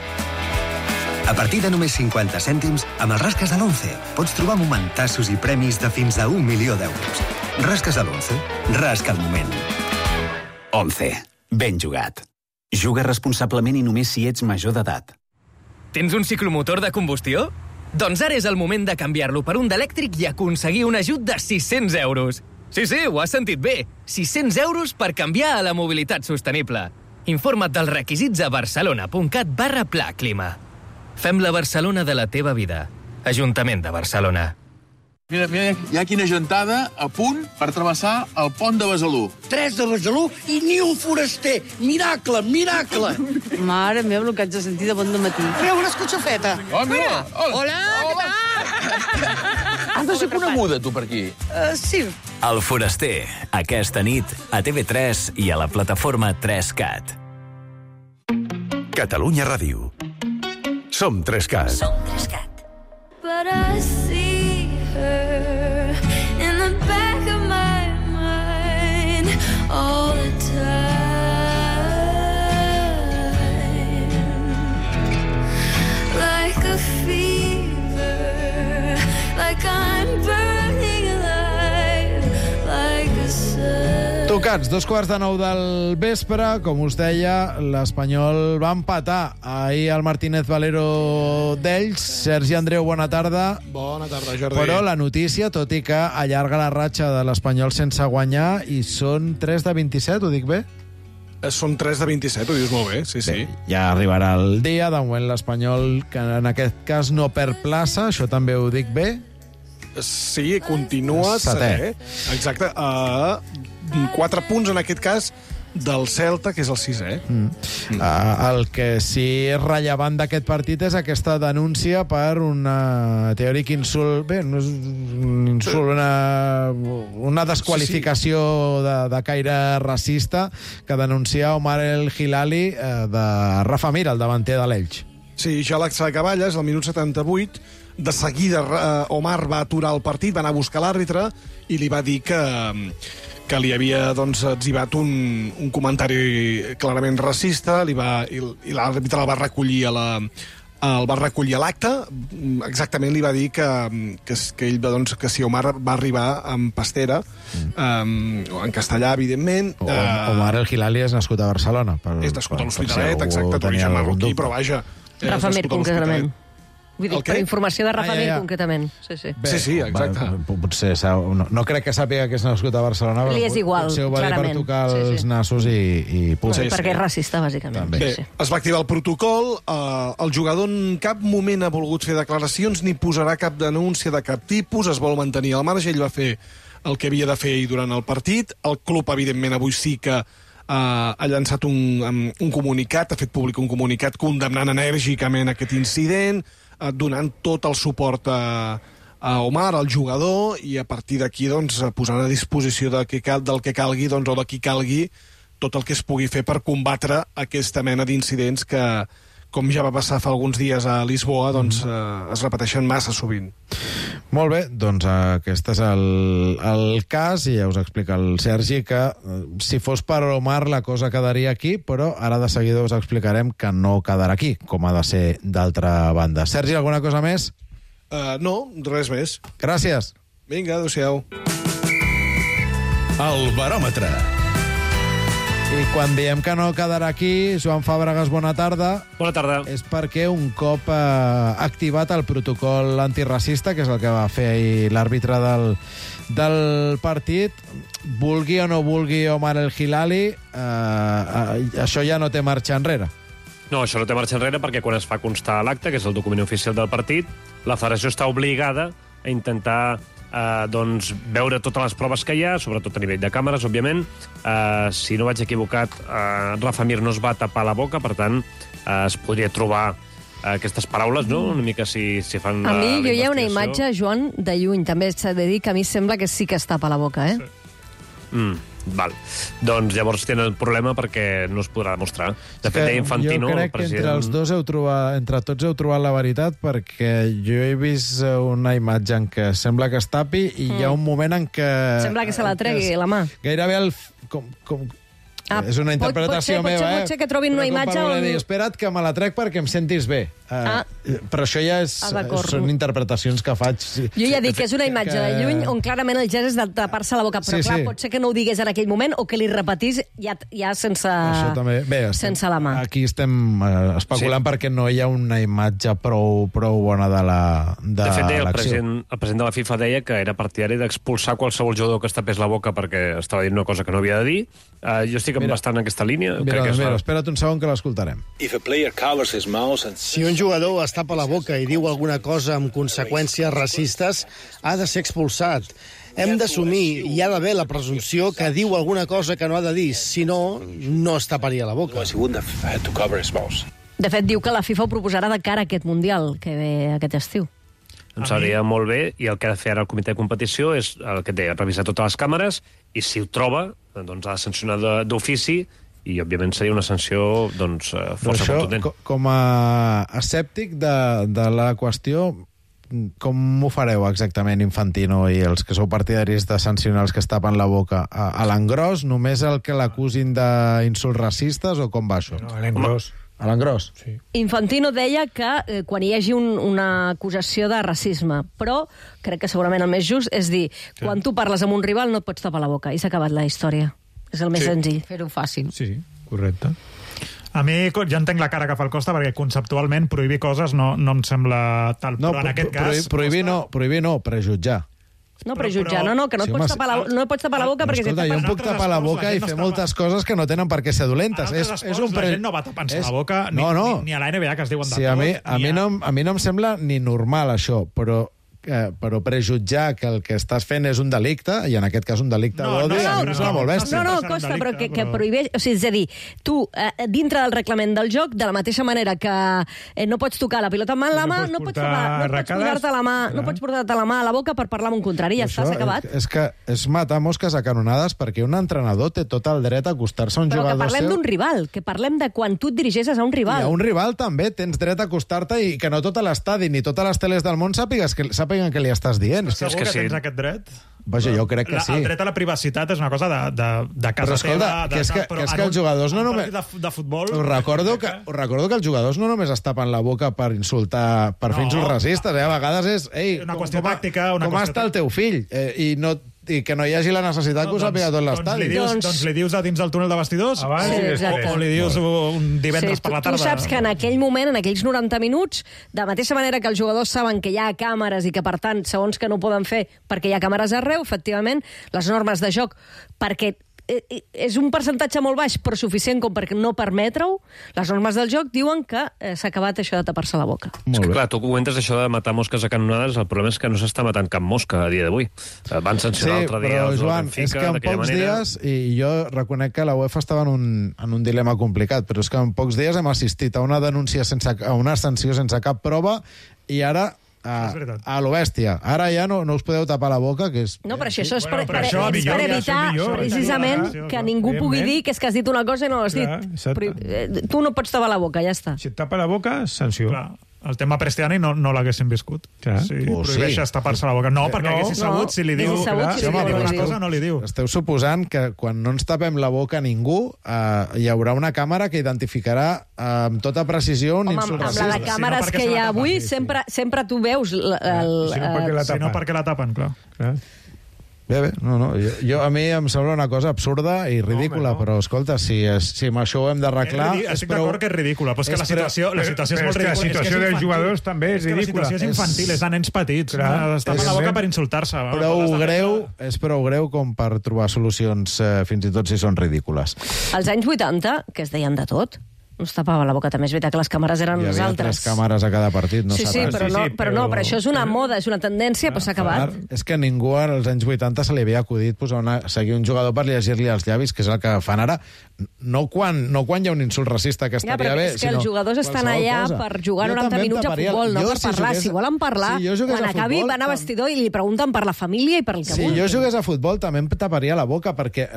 A partir de només 50 cèntims, amb els rasques de l'11 pots trobar momentassos i premis de fins a 1 milió d'euros. Rasques de l'11. Rasca el moment. 11. Ben jugat. Juga responsablement i només si ets major d'edat. Tens un ciclomotor de combustió? Doncs ara és el moment de canviar-lo per un d'elèctric i aconseguir un ajut de 600 euros. Sí, ho has sentit bé. 600 euros per canviar a la mobilitat sostenible. Informa't dels requisits a barcelona.cat/Pla Clima. Fem la Barcelona de la teva vida. Ajuntament de Barcelona. Mira, hi ha quina gentada a punt per travessar el pont de Besalú. 3 de Besalú i ni un foraster. Miracle, miracle. Mare meva, el que haig de sentir de bon dematí. Treu una escotxafeta. Oh, mira. Hola, què tal? Has de ser coneguda, tu, per aquí. Sí. El Foraster, aquesta nit, a TV3 i a la plataforma 3CAT. Catalunya Ràdio. Som 3CAT. Som 3CAT. But I see her in the back of my mind all the time. Like a fever, like I'm burning alive, like a sun. Tocats, 9:15 del vespre. Com us deia, l'Espanyol va empatar ahir al Martínez Valero d'ells. Sergi Andreu, bona tarda. Bona tarda, Jordi. Però la notícia, tot i que allarga la ratxa de l'Espanyol sense guanyar, i són 3 de 27, ho dic bé? Són 3 de 27, ho dius molt bé, sí. Bé, ja arribarà el dia. De moment l'Espanyol, que en aquest cas no perd plaça, això també ho dic bé? Sí, continua setè. Exacte, a 4 punts, en aquest cas, del Celta, que és el 6è. El que sí és rellevant d'aquest partit és aquesta denúncia per un teòric insult. Bé, no és un insult, una desqualificació de caire racista que denuncia Omar El Hilali de Rafa Mir, el davanter de l'Elx. Sí, ja a l'Axa de Cavalles, al minut 78, de seguida Omar va aturar el partit, va anar a buscar l'àrbitre i li va dir que li havia etzibat un comentari clarament racista i l'àrbitre el va recollir a l'acte. Exactament li va dir que ell, que si Omar va arribar amb pastera, en castellà, evidentment. Omar El Hilali és nascut a Barcelona. És nascut a l'Hospitalet, exacte, d'origen marroquí, però vaja... Rafa Mir, concretament. Vull dir, per informació de Rafa Mir, concretament. Bé, sí, exacte. Potser no crec que sàpiga que és nascut a Barcelona, però li és igual, potser ho va dir per tocar els nassos i punt. Perquè és racista, bàsicament. Bé, es va activar el protocol, el jugador en cap moment ha volgut fer declaracions ni posarà cap denúncia de cap tipus, es vol mantenir al marge, ell va fer el que havia de fer durant el partit. El club, evidentment, avui sí que ha llançat un comunicat, ha fet públic un comunicat condemnant enèrgicament aquest incident, donant tot el suport a Omar, al jugador, i a partir d'aquí posant a disposició del que calgui o de qui calgui tot el que es pugui fer per combatre aquesta mena d'incidents que, com ja va passar fa alguns dies a Lisboa, es repeteixen massa sovint. Molt bé, doncs aquest és el cas, i ja us explica el Sergi que si fos per Omar la cosa quedaria aquí, però ara de seguida us explicarem que no quedarà aquí, com ha de ser d'altra banda. Sergi, alguna cosa més? No, res més. Gràcies. Vinga, adéu-siau. El baròmetre. I quan diem que no quedarà aquí, Joan Fàbregas, bona tarda. Bona tarda. És perquè un cop activat el protocol antiracista, que és el que va fer ahir l'àrbitre del partit, vulgui o no vulgui Omar El Hilali, això ja no té marxa enrere. No, això no té marxa enrere perquè quan es fa constar l'acte, que és el document oficial del partit, la federació està obligada a intentar veure totes les proves que hi ha, sobretot a nivell de càmeres, òbviament. Si no vaig equivocat, Rafa Mir no es va tapar la boca, per tant, es podria trobar aquestes paraules, no? Una mica si fan a mi hi ha una imatge, Joan, de lluny. També s'ha de dir que a mi sembla que sí que es tapa la boca, eh? Sí. Val. Doncs llavors tenen el problema perquè no es podrà demostrar. De fet, deia Infantino... Jo crec que entre tots heu trobat la veritat, perquè jo he vist una imatge en què sembla que es tapi i hi ha un moment en què... Sembla que se la tregui la mà. Gairebé és una interpretació meva, Pot ser que trobin una imatge on... Espera't que me la trec perquè em sentis bé. Però això ja són interpretacions que faig. Jo ja dic que és una imatge de lluny on clarament el gest és de tapar-se la boca, però clar, pot ser que no ho digués en aquell moment o que li repetís ja sense la mà. Aquí estem especulant perquè no hi ha una imatge prou bona de l'acció. De fet, el president de la FIFA deia que era partidari d'expulsar qualsevol jugador que es tapés la boca perquè estava dient una cosa que no havia de dir. Jo estic bastant en aquesta línia. Espera't un segon que l'escoltarem. Si un jugador es tapa la boca i diu alguna cosa amb conseqüències racistes, ha de ser expulsat. Hem d'assumir, hi ha d'haver la presumpció que diu alguna cosa que no ha de dir, si no, no es taparia la boca. De fet, diu que la FIFA ho proposarà de cara a aquest Mundial, que ve aquest estiu. Em sabria molt bé, i el que ha de fer ara el comitè de competició és el que deia, revisar totes les càmeres, i si ho troba, doncs ha de sancionar d'ofici, i òbviament seria una sanció força contundent. Com a escèptic de la qüestió, com ho fareu exactament, Infantino, i els que sou partidaris de sancionar els que es tapen la boca? A l'engròs, només el que l'acusin d'insults racistes, o com va això? No, a l'engròs. A l'engròs? Sí. Infantino deia que quan hi hagi una acusació de racisme, però crec que segurament el més just és dir, quan tu parles amb un rival no et pots tapar la boca, i s'ha acabat la història. És el més senzill. Fer-ho fàcil. Sí, correcte. A mi ja entenc la cara que fa el Costa, perquè conceptualment prohibir coses no em sembla tal, però en aquest cas... Prohibir no, prejutjar. No, prejutjar, que no et pots tapar la boca perquè... Escolta, jo em puc tapar la boca i fer moltes coses que no tenen per què ser dolentes. La gent no va tapant-se la boca, ni a la NBA, que es diuen de tot. A mi no em sembla ni normal això, però prejutjar que el que estàs fent és un delicte, i en aquest cas un delicte d'odi, és molt bèstia. No, Costa, però que prohibeix... O sigui, és a dir, tu, dintre del reglament del joc, de la mateixa manera que no pots tocar la pilota amb la mà, no pots posar-te la mà a la boca per parlar amb un contrari, ja està, s'ha acabat. És que és matar mosques a canonades, perquè un entrenador té tot el dret a acostar-se a un jugador seu... Però que parlem d'un rival, que parlem de quan tu et dirigeixes a un rival. I a un rival també tens dret a acostar-te i que no tot l'estadi ni totes les teles del món sàpiguen què li estàs dient. Segur que tens aquest dret? Vaja, jo crec que sí. El dret a la privacitat és una cosa de casa teva. Però escolta, que és que els jugadors no només... De futbol... Us recordo que els jugadors no només es tapen la boca per insultar, per fer insults racistes. A vegades és... Una qüestió tàctica... Com està el teu fill? I no i que no hi hagi la necessitat que ho sàpiga tot l'estadi. Doncs li dius a dins del túnel de vestidors o li dius un divendres per la tarda. Tu saps que en aquell moment, en aquells 90 minuts, de mateixa manera que els jugadors saben que hi ha càmeres i que, per tant, segons que no ho poden fer perquè hi ha càmeres arreu, efectivament, les normes de joc, perquè és un percentatge molt baix, però suficient com per no permetre-ho, les normes del joc diuen que s'ha acabat això de tapar-se la boca. És que, clar, tu comentes això de matar mosques a canonades, el problema és que no s'està matant cap mosca a dia d'avui. Van sancionar l'altre dia però, el Joan, Benfica, és que en pocs dies, i jo reconec que la UEFA estava en un dilema complicat, però és que en pocs dies hem assistit a una denúncia a una sanció sense cap prova, i ara a lo bèstia. Ara ja no us podeu tapar la boca, que és... No, però això és per evitar precisament que ningú pugui dir que és que has dit una cosa i no l'has dit. Tu no pots tapar la boca, ja està. Si et tapa la boca, sanció. El tema Prestiani no l'haguéssim viscut. Si prohibeixes tapar-se la boca. No, perquè haguessis sabut si li diu una cosa, no li diu. Esteu suposant que quan no ens tapem la boca a ningú hi haurà una càmera que identificarà amb tota precisió un insult racista. Amb les càmeres que hi ha avui sempre tu veus... Si no, perquè la tapen, clar. Bé, no. A mi em sembla una cosa absurda i ridícula, però, escolta, si amb això ho hem d'arreglar... Estic d'acord que és ridícula, però és que la situació és molt ridícula. La situació dels jugadors també és ridícula. La situació és infantil, és de nens petits. Es tapen la boca per insultar-se. És prou greu com per trobar solucions, fins i tot si són ridícules. Als anys 80, que es deien de tot, no es tapava la boca. També és veritat que les càmeres eren les altres. Hi havia 3 càmeres a cada partit, no saps? Però això és una moda, és una tendència, però s'ha acabat. És que ningú als anys 80 se li havia acudit seguir un jugador per llegir-li els llavis, que és el que fan ara, no quan hi ha un insult racista que estaria bé, sinó... És que els jugadors estan allà per jugar 90 minuts a futbol, no per parlar. Si volen parlar, quan acabi van a vestidor i li pregunten per la família i per el que vulguin. Si jo jugués a futbol també em taparia la boca, perquè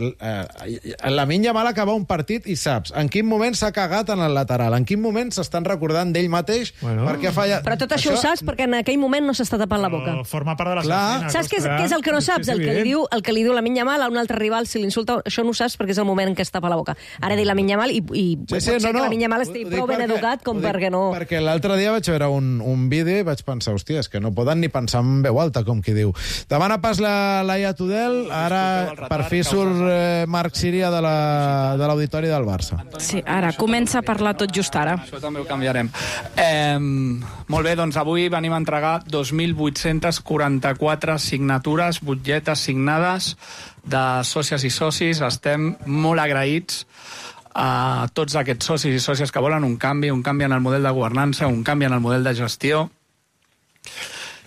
Lamine Yamal acaba un partit i saps en quin moment s'ha cagat en el lateral, en quin moment s'estan recordant d'ell mateix perquè ha fallat... Però tot això ho saps perquè en aquell moment no s'està tapant la boca. Forma part de la feina. Saps què és el que no saps? El que li diu Lamine Yamal a un altre rival si l'insulta, això no ho saps perquè és el moment en què es tapa la boca. Ara dic Lamine Yamal i pot ser que Lamine Yamal estigui prou ben educat com perquè no... Perquè l'altre dia vaig veure un vídeo i vaig pensar, hòstia, és que no poden ni pensar en veu alta, com qui diu. Demana pas la Laia Tudel, ara per fi surt Marc Síria de l'auditori del Barça. Sí, ara comença a parlar tot just ara. Això també ho canviarem. Molt bé, doncs avui venim a entregar 2.844 signatures, butlletes signades de sòcies i socis. Estem molt agraïts a tots aquests socis i sòcies que volen un canvi en el model de governança, un canvi en el model de gestió,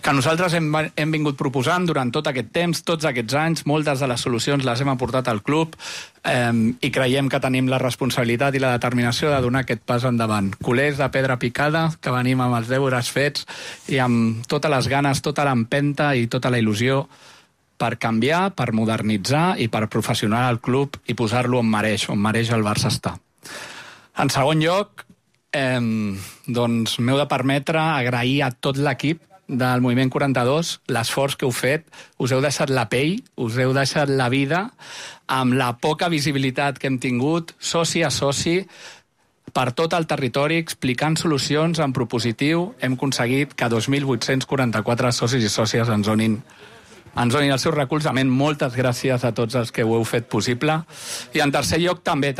que nosaltres hem vingut proposant durant tot aquest temps, tots aquests anys. Moltes de les solucions les hem aportat al club i creiem que tenim la responsabilitat i la determinació de donar aquest pas endavant. Culers de pedra picada, que venim amb els deures fets i amb totes les ganes, tota l'empenta i tota la il·lusió per canviar, per modernitzar i per professionar el club i posar-lo on mereix el Barça estar. En segon lloc, doncs m'heu de permetre agrair a tot l'equip del Moviment 42, l'esforç que heu fet, us heu deixat la pell, us heu deixat la vida, amb la poca visibilitat que hem tingut, soci a soci, per tot el territori, explicant solucions en propositiu, hem aconseguit que 2.844 socis i sòcies ens donin el seu recolzament. Moltes gràcies a tots els que ho heu fet possible. I en tercer lloc, també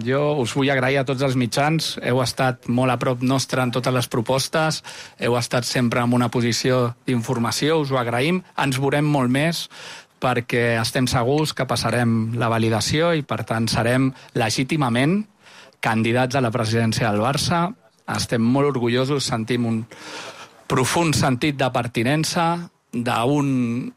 jo us vull agrair a tots els mitjans. Heu estat molt a prop nostre en totes les propostes, heu estat sempre en una posició d'informació, us ho agraïm. Ens veurem molt més perquè estem segurs que passarem la validació i, per tant, serem legítimament candidats a la presidència del Barça. Estem molt orgullosos, sentim un profund sentit de pertinença, d'un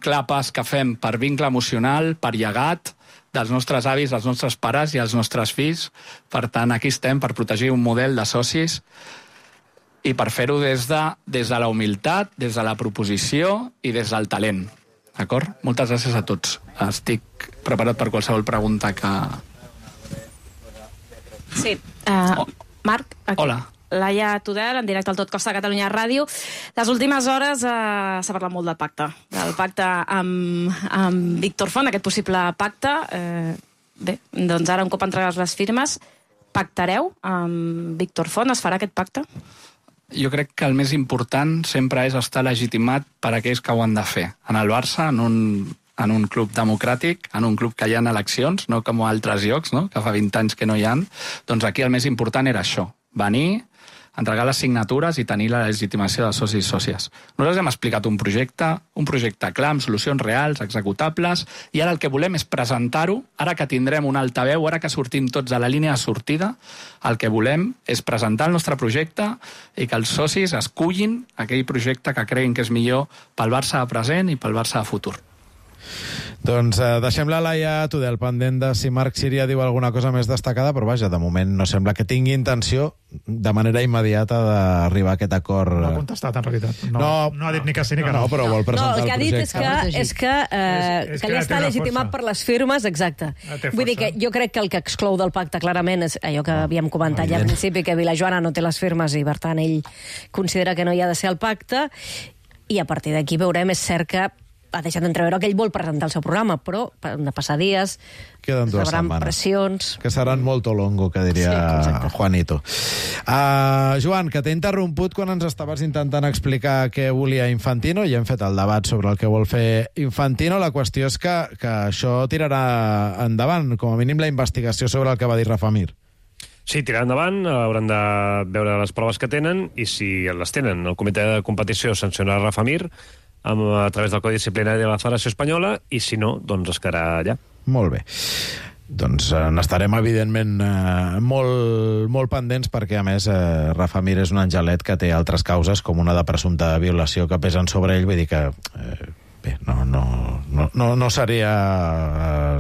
clar pas que fem per vincle emocional, per llegat dels nostres avis, dels nostres pares i els nostres fills. Per tant, aquí estem per protegir un model de socis i per fer-ho des de la humilitat, des de la proposició i des del talent. D'acord? Moltes gràcies a tots. Estic preparat per qualsevol pregunta que... Sí. Marc? Aquí. Hola. Laia Tudel, en directe al Tot Costa de Catalunya Ràdio. Les últimes hores s'ha parlat molt del pacte amb Víctor Font, aquest possible pacte. Bé, doncs ara un cop entregues les firmes, pactareu amb Víctor Font? Es farà aquest pacte? jo crec que el més important sempre és estar legitimat per aquells que ho han de fer. En el Barça, en un club democràtic, en un club que hi ha eleccions, no com a altres llocs, no? Que fa 20 anys que no hi ha, doncs aquí el més important era això, venir, entregar les signatures i tenir la legitimació dels socis i sòcies. Nosaltres hem explicat un projecte clar, amb solucions reals, executables, i ara el que volem és presentar-ho, ara que tindrem un altaveu, ara que sortim tots a la línia de sortida, el que volem és presentar el nostre projecte i que els socis escullin aquell projecte que creguin que és millor pel Barça de present i pel Barça de futur. Doncs deixem la Laia Tudel pendent de si Marc Síria diu alguna cosa més destacada, però vaja, de moment no sembla que tingui intenció de manera immediata d'arribar a aquest acord. No ha contestat, en realitat. No ha dit ni que sí ni que no. No, però vol presentar el que ha dit és que ja està legitimat per les firmes, exacte. Vull dir que jo crec que el que exclou del pacte clarament és allò que havíem comentat ja al principi, que Vilajoana no té les firmes i, per tant, ell considera que no hi ha de ser el pacte, i a partir d'aquí veurem, és cert que ha deixat d'entreveure que ell vol presentar el seu programa, però han de passar dies, queden 2 setmanes. Pressions... Que seran molt longo, que diria Juanito. Joan, que t'he interromput quan ens estaves intentant explicar què volia Infantino, i hem fet el debat sobre el que vol fer Infantino. La qüestió és que això tirarà endavant, com a mínim la investigació sobre el que va dir Rafa Mir. Sí, tirar endavant, hauran de veure les proves que tenen, i si les tenen, el comitè de competició sancionarà Rafa Mir a través del Codi Disciplinari de la Federació Espanyola, i si no, doncs es quedarà allà. Molt bé. Doncs n'estarem, evidentment, molt pendents, perquè, a més, Rafa Mir és un angelet que té altres causes, com una de presumpta violació que pesen sobre ell, vull dir que... Bé, no seria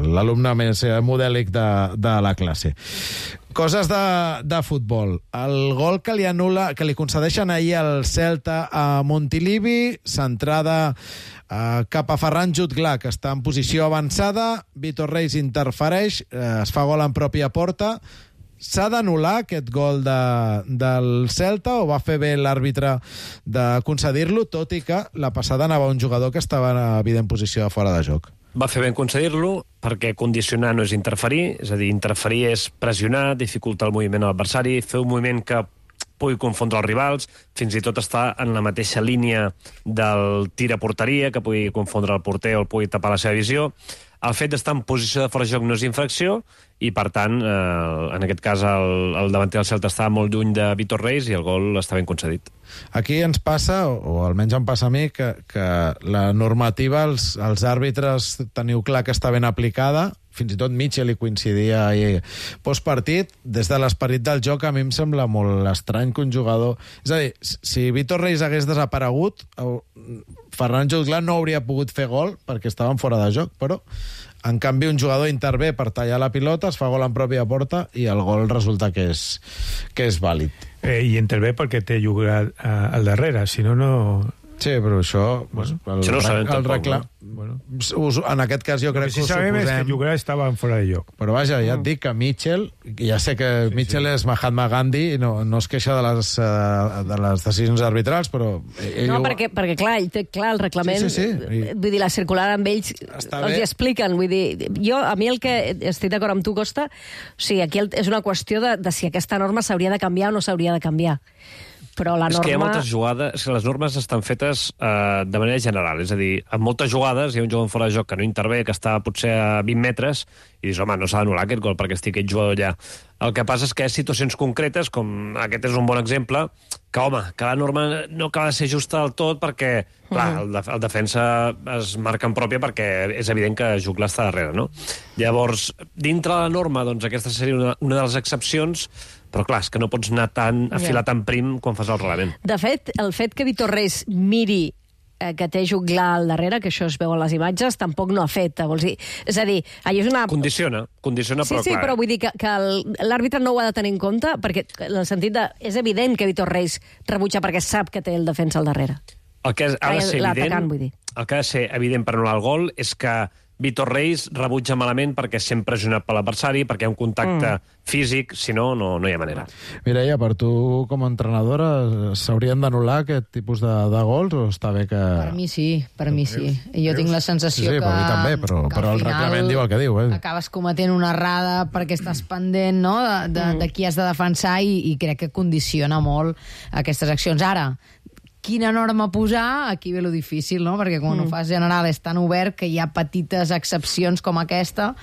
l'alumne més modèlic de la classe. Coses de futbol. El gol que li concedeixen ahir al Celta a Montilivi, centrada cap a Ferran Jutglar, que està en posició avançada. Vitor Reis interfereix, es fa gol en pròpia porta. S'ha d'anul·lar aquest gol del Celta, o va fer bé l'àrbitre de concedir-lo, tot i que la passada anava un jugador que estava en evident posició de fora de joc? Va fer bé en concedir-lo, perquè condicionar no és interferir, és a dir, interferir és pressionar, dificultar el moviment a l'adversari, fer un moviment que pugui confondre els rivals, fins i tot estar en la mateixa línia del tir a porteria, que pugui confondre el porter o el pugui tapar la seva visió. El fet d'estar en posició de fora de joc no és infracció, i, per tant, en aquest cas, el davanter del Celta estava molt lluny de Vitor Reis i el gol està ben concedit. Aquí ens passa, o almenys em passa a mi, que la normativa, els àrbitres teniu clar que està ben aplicada, fins i tot Mitchell hi coincidia ahir postpartit. Des de l'esperit del joc, a mi em sembla molt estrany que un jugador... És a dir, si Vitor Reis hagués desaparegut, Ferran Jutglar no hauria pogut fer gol perquè estaven fora de joc, però en canvi un jugador intervé per tallar la pilota, es fa gol en pròpia porta i el gol resulta que és vàlid. I intervé perquè té jugat al darrere, si no... Sí, però això... Això no ho sabem tampoc, no? En aquest cas jo crec que ho suposem... Si sabem és que Jutglar estava fora de lloc. Però vaja, ja et dic que Mitchell, ja sé que Mitchell és Mahatma Gandhi i no es queixa de les decisions arbitrals, però... No, perquè clar, ell té clar el reglament. Sí. Vull dir, la circular amb ells els hi expliquen. Vull dir, a mi el que estic d'acord amb tu, Costa, o sigui, aquí és una qüestió de si aquesta norma s'hauria de canviar o no s'hauria de canviar. Però la norma... És que hi ha moltes jugades... Les normes estan fetes de manera general. És a dir, en moltes jugades hi ha un jugador fora de joc que no intervé, que està potser a 20 metres, i dius, home, no s'ha d'anul·lar aquest gol perquè estigui aquest jugador allà. El que passa és que hi ha situacions concretes, com aquest és un bon exemple, que, home, que la norma no acaba de ser justa del tot perquè, clar, el defensa es marca en pròpia perquè és evident que Jutglar està darrere, no? Llavors, dintre la norma, doncs aquesta seria una de les excepcions, però clar, és que no pots anar afilar tan prim quan fas el reglament. De fet, el fet que Vitor Reis miri que té Jutglar al darrere, que això es veu a les imatges, tampoc no afecta. Vols dir? És a dir, allà és una... Condiciona, però clar... Sí, però vull dir que l'àrbitre no ho ha de tenir en compte, perquè en el sentit de... És evident que Vitor Reis rebutja perquè sap que té el defensa al darrere. El que ha de ser evident per anul·lar el gol és que Víctor Reis rebutja malament perquè és sempre pressionat per l'adversari, perquè hi ha un contacte físic, si no, no hi ha manera. Mireia, per tu com a entrenadora s'haurien d'anul·lar aquest tipus de gols o està bé que... Per mi sí. I jo tinc la sensació que... Sí, per mi també, però el reglament diu el que diu. Acabes cometent una errada perquè estàs pendent, no?, de qui has de defensar i crec que condiciona molt aquestes accions. Ara, quina norma posar, aquí ve lo difícil, no? Perquè quan ho fas general és tan obert que hi ha petites excepcions com aquesta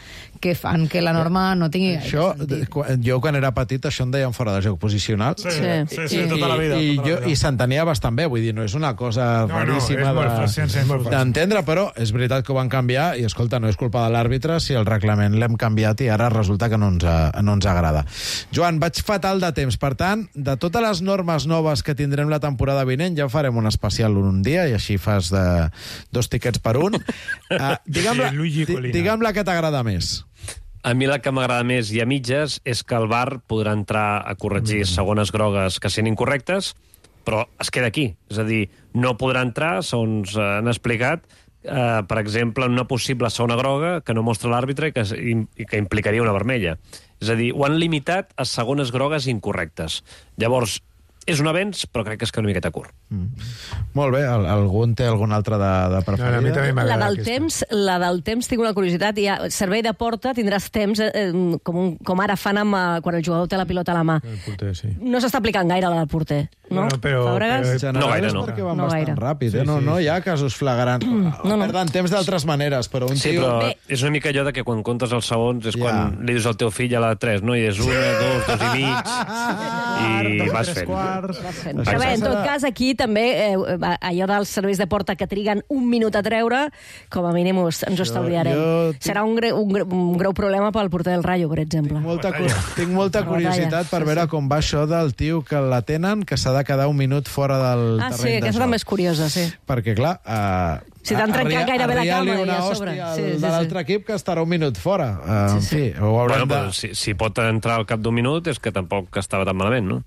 que fan que la norma no tingui gaire sentit. Jo, quan era petit, això em deien fora de joc posicional. Sí, tota la vida. I s'entenia bastant bé, vull dir, no és una cosa raríssima d'entendre, però és veritat que ho van canviar i, escolta, no és culpa de l'àrbitre si el reglament l'hem canviat i ara resulta que no ens agrada. Joan, vaig fatal de temps, per tant, de totes les normes noves que tindrem la temporada vinent, ja farem un especial un dia i així fas 2 tiquets per un. Digue'm la que t'agrada més. A mi la que m'agrada més i a mitges és que el VAR podrà entrar a corregir segones grogues que siguin incorrectes, però es queda aquí. És a dir, no podrà entrar, segons han explicat, per exemple, en una possible segona groga que no mostra l'àrbitre i que implicaria una vermella. És a dir, ho han limitat a segones grogues incorrectes. Llavors, és un avenç, però crec que és una miqueta curt. Molt bé, algú té algun altre de preferida? A mi també m'agrada La del temps, tinc una curiositat. Servei de porta, tindràs temps, com ara fan quan el jugador té la pilota a la mà. No s'està aplicant gaire la del porter, no? No gaire, no. Perquè van bastant ràpid, no hi ha casos flagrants. Perden temps d'altres maneres, però un tio... Sí, però és una mica allò que quan comptes els segons és quan li dius al teu fill a la 3, no? I és 1, 2, 2 i mig, i vas fent. Però bé, en tot cas, aquí també allò dels serveis de porta que triguen un minut a treure, com a mínim ens ho estalviarem. Serà un greu problema pel porter del Rayo, per exemple. Tinc molta curiositat per veure com va això del tio que la tenen, que s'ha de quedar un minut fora del terreny de joc. Sí, aquesta també és curiosa, sí. Perquè, clar... Si t'han trencat gairebé la cama i a sobre de l'altre equip que estarà un minut fora. En fi, ho haurem de... Si pot entrar al cap d'un minut és que tampoc estava tan malament, no?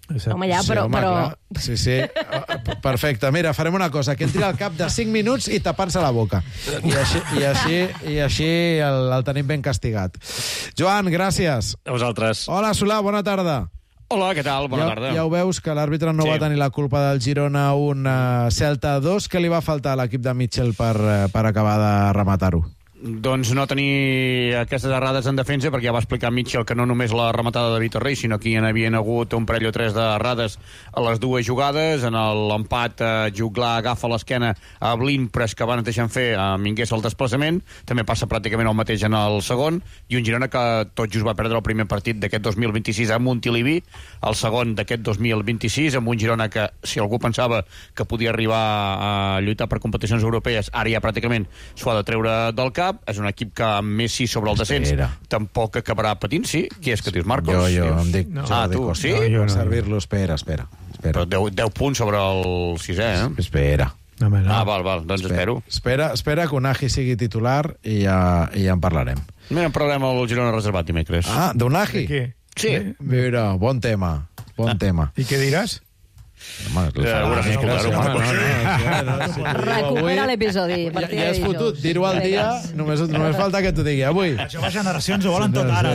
Home, ja, però... Sí. Perfecte. Mira, farem una cosa. Que entri al cap de 5 minuts i tapant-se la boca. I així el tenim ben castigat. Joan, gràcies. A vosaltres. Hola, Solà, bona tarda. Hola, què tal? Bona tarda. Ja ho veus, que l'àrbitre no va tenir la culpa del Girona 1, Celta 2. Què li va faltar a l'equip de Mitchell per acabar de rematar-ho? Doncs no tenir aquestes errades en defensa, perquè ja va explicar Mitchell que no només la rematada de Víctor Reis, sinó que hi havien hagut un parell o 3 d'errades a les dues jugades. En l'empat, Juglar agafa l'esquena a Blin, però és que van deixant fer a Mingués el desplaçament. També passa pràcticament el mateix en el segon. I un Girona que tot just va perdre el primer partit d'aquest 2026 a Montilivi, el segon d'aquest 2026, amb un Girona que, si algú pensava que podia arribar a lluitar per competicions europees, ara ja pràcticament s'ho ha de treure del cap. És un equip que amb Messi sobre el descens tampoc acabarà patint, sí? Qui és que dius, Marcos? Jo em dic Jordi Costa. Sí? Per servir-lo, espera. Però 10 punts sobre el 6è, eh? Espera. Val, doncs espero. Espera que Unai sigui titular i ja en parlarem. Mira, en parlarem al Girona reservat dimecres. d'Unai? Sí. Mira, bon tema. I què diràs? Recupera l'episodi. Ja has fotut dir-ho al dia, només falta que t'ho digui avui. Les joves generacions ho volen tot ara.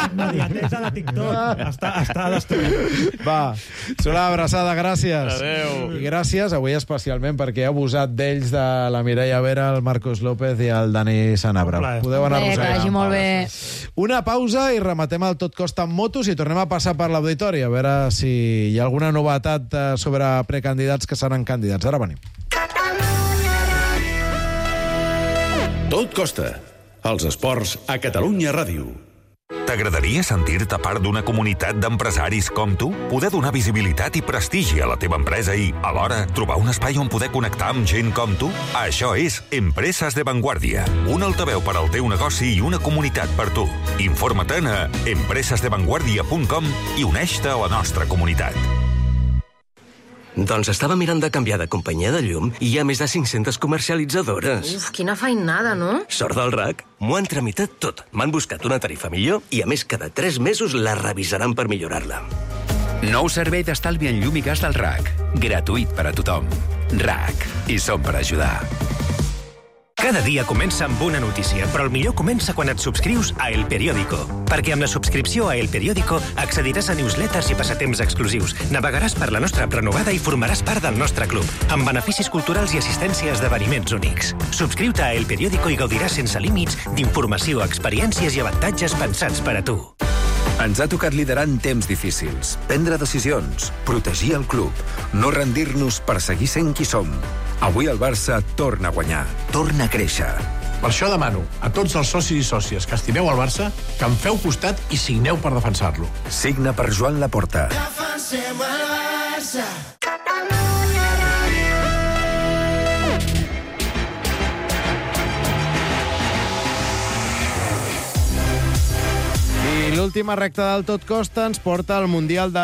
Immediatesa de TikTok està destruït. Va, Solà, abraçada, gràcies. Adéu. I gràcies avui especialment perquè he abusat d'ells, de la Mireia Vera, el Marcos López i el Dani Sanabra. Podeu anar a que vagi molt bé. Una pausa i rematem el Tot Costa amb motos i tornem a passar per l'auditori a veure si hi ha alguna novetat sobre precandidats que seran candidats. Ara venim. Tot Costa. Els esports a Catalunya Ràdio. T'agradaria sentir-te part d'una comunitat d'empresaris com tu? Poder donar visibilitat i prestigi a la teva empresa i, alhora, trobar un espai on poder connectar amb gent com tu? Això és Empreses de Vanguardia. Un altaveu per al teu negoci i una comunitat per tu. Informa-te'n a empresesdevanguardia.com i uneix-te a la nostra comunitat. Doncs estava mirant de canviar de companyia de llum i hi ha més de 500 comercialitzadores. Uf, quina feinada, no? Sort del RAC. M'ho han tramitat tot. M'han buscat una tarifa millor i, a més, cada 3 mesos la revisaran per millorar-la. Nou servei d'estalvi en llum i gas del RAC. Gratuït per a tothom. RAC. I som per ajudar. Cada dia comença amb una notícia, però el millor comença quan et subscrius a El Periódico. Perquè amb la subscripció a El Periódico accediràs a newsletters i passatemps exclusius, navegaràs per la nostra app renovada i formaràs part del nostre club, amb beneficis culturals i assistència a esdeveniments únics. Subscriu-te a El Periódico i gaudiràs sense límits d'informació, experiències i avantatges pensats per a tu. Ens ha tocat liderar en temps difícils, prendre decisions, protegir el club, no rendir-nos per seguir sent qui som. Avui el Barça torna a guanyar, torna a créixer. Per això demano a tots els socis i sòcies que estimeu el Barça que em feu costat i signeu per defensar-lo. Signa per Joan Laporta. Defensem el Barça. I l'última recta del Tot Costa ens porta al Mundial de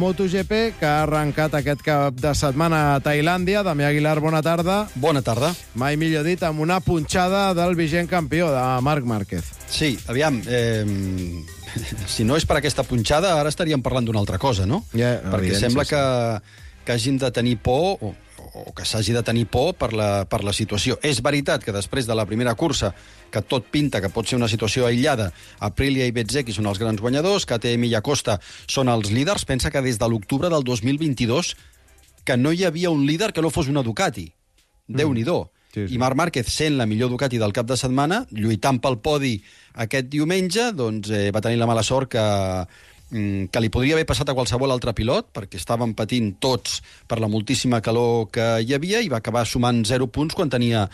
MotoGP, que ha arrencat aquest cap de setmana a Tailàndia. Damià Aguilar, bona tarda. Bona tarda. Mai millor dit, amb una punxada del vigent campió, de Marc Márquez. Sí, aviam, si no és per aquesta punxada, ara estaríem parlant d'una altra cosa, no? Perquè sembla que hàgim de tenir por, o que s'hagi de tenir por per la situació. És veritat que després de la primera cursa, que tot pinta que pot ser una situació aïllada, Aprilia i Bezzecchi són els grans guanyadors, KTM i Acosta són els líders. Pensa que des de l'octubre del 2022 que no hi havia un líder que no fos una Ducati. Déu-n'hi-do. Sí. I Marc Márquez, sent la millor Ducati del cap de setmana, lluitant pel podi aquest diumenge, doncs va tenir la mala sort que li podria haver passat a qualsevol altre pilot, perquè estaven patint tots per la moltíssima calor que hi havia, i va acabar sumant 0 punts quan tenia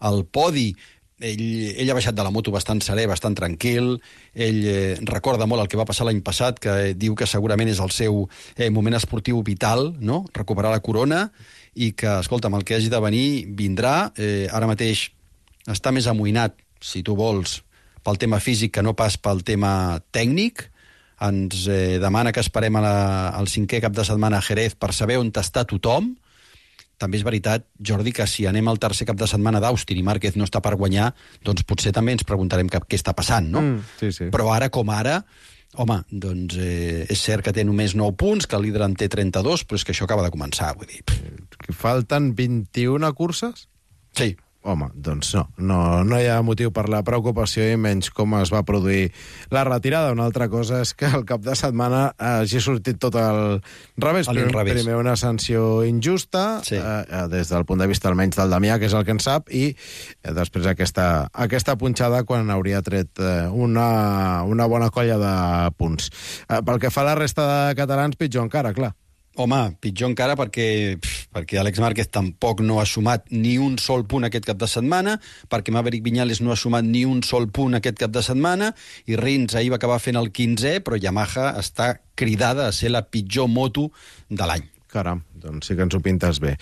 el podi. Ell ha baixat de la moto bastant serè, bastant tranquil. Ell recorda molt el que va passar l'any passat, que diu que segurament és el seu moment esportiu vital, no? Recuperar la corona, i que, escolta'm, el que hagi de venir vindrà. Ara mateix està més amoïnat, si tu vols, pel tema físic que no pas pel tema tècnic. Ens demana que esperem al 5è cap de setmana a Jerez per saber on està tothom. També és veritat, Jordi, que si anem al 3è cap de setmana d'Austin i Márquez no està per guanyar, doncs potser també ens preguntarem què està passant, no? Sí. Però ara com ara, home, doncs és cert que té només 9 punts, que el líder en té 32, però és que això acaba de començar, vull dir. Falten 21 curses? Sí. Home, doncs no hi ha motiu per la preocupació, i menys com es va produir la retirada. Una altra cosa és que el cap de setmana hagi sortit tot al revés. Primer una sanció injusta, sí, des del punt de vista almenys del Damià, que és el que en sap, i després aquesta punxada quan hauria tret una bona colla de punts. Pel que fa a la resta de catalans, pitjor encara, clar. Home, pitjor encara perquè Àlex Márquez tampoc no ha sumat ni un sol punt aquest cap de setmana, perquè Maverick Viñales no ha sumat ni un sol punt aquest cap de setmana, i Rins ahir va acabar fent el 15è, però Yamaha està cridada a ser la pitjor moto de l'any. Caram, doncs sí que ens ho pintes bé.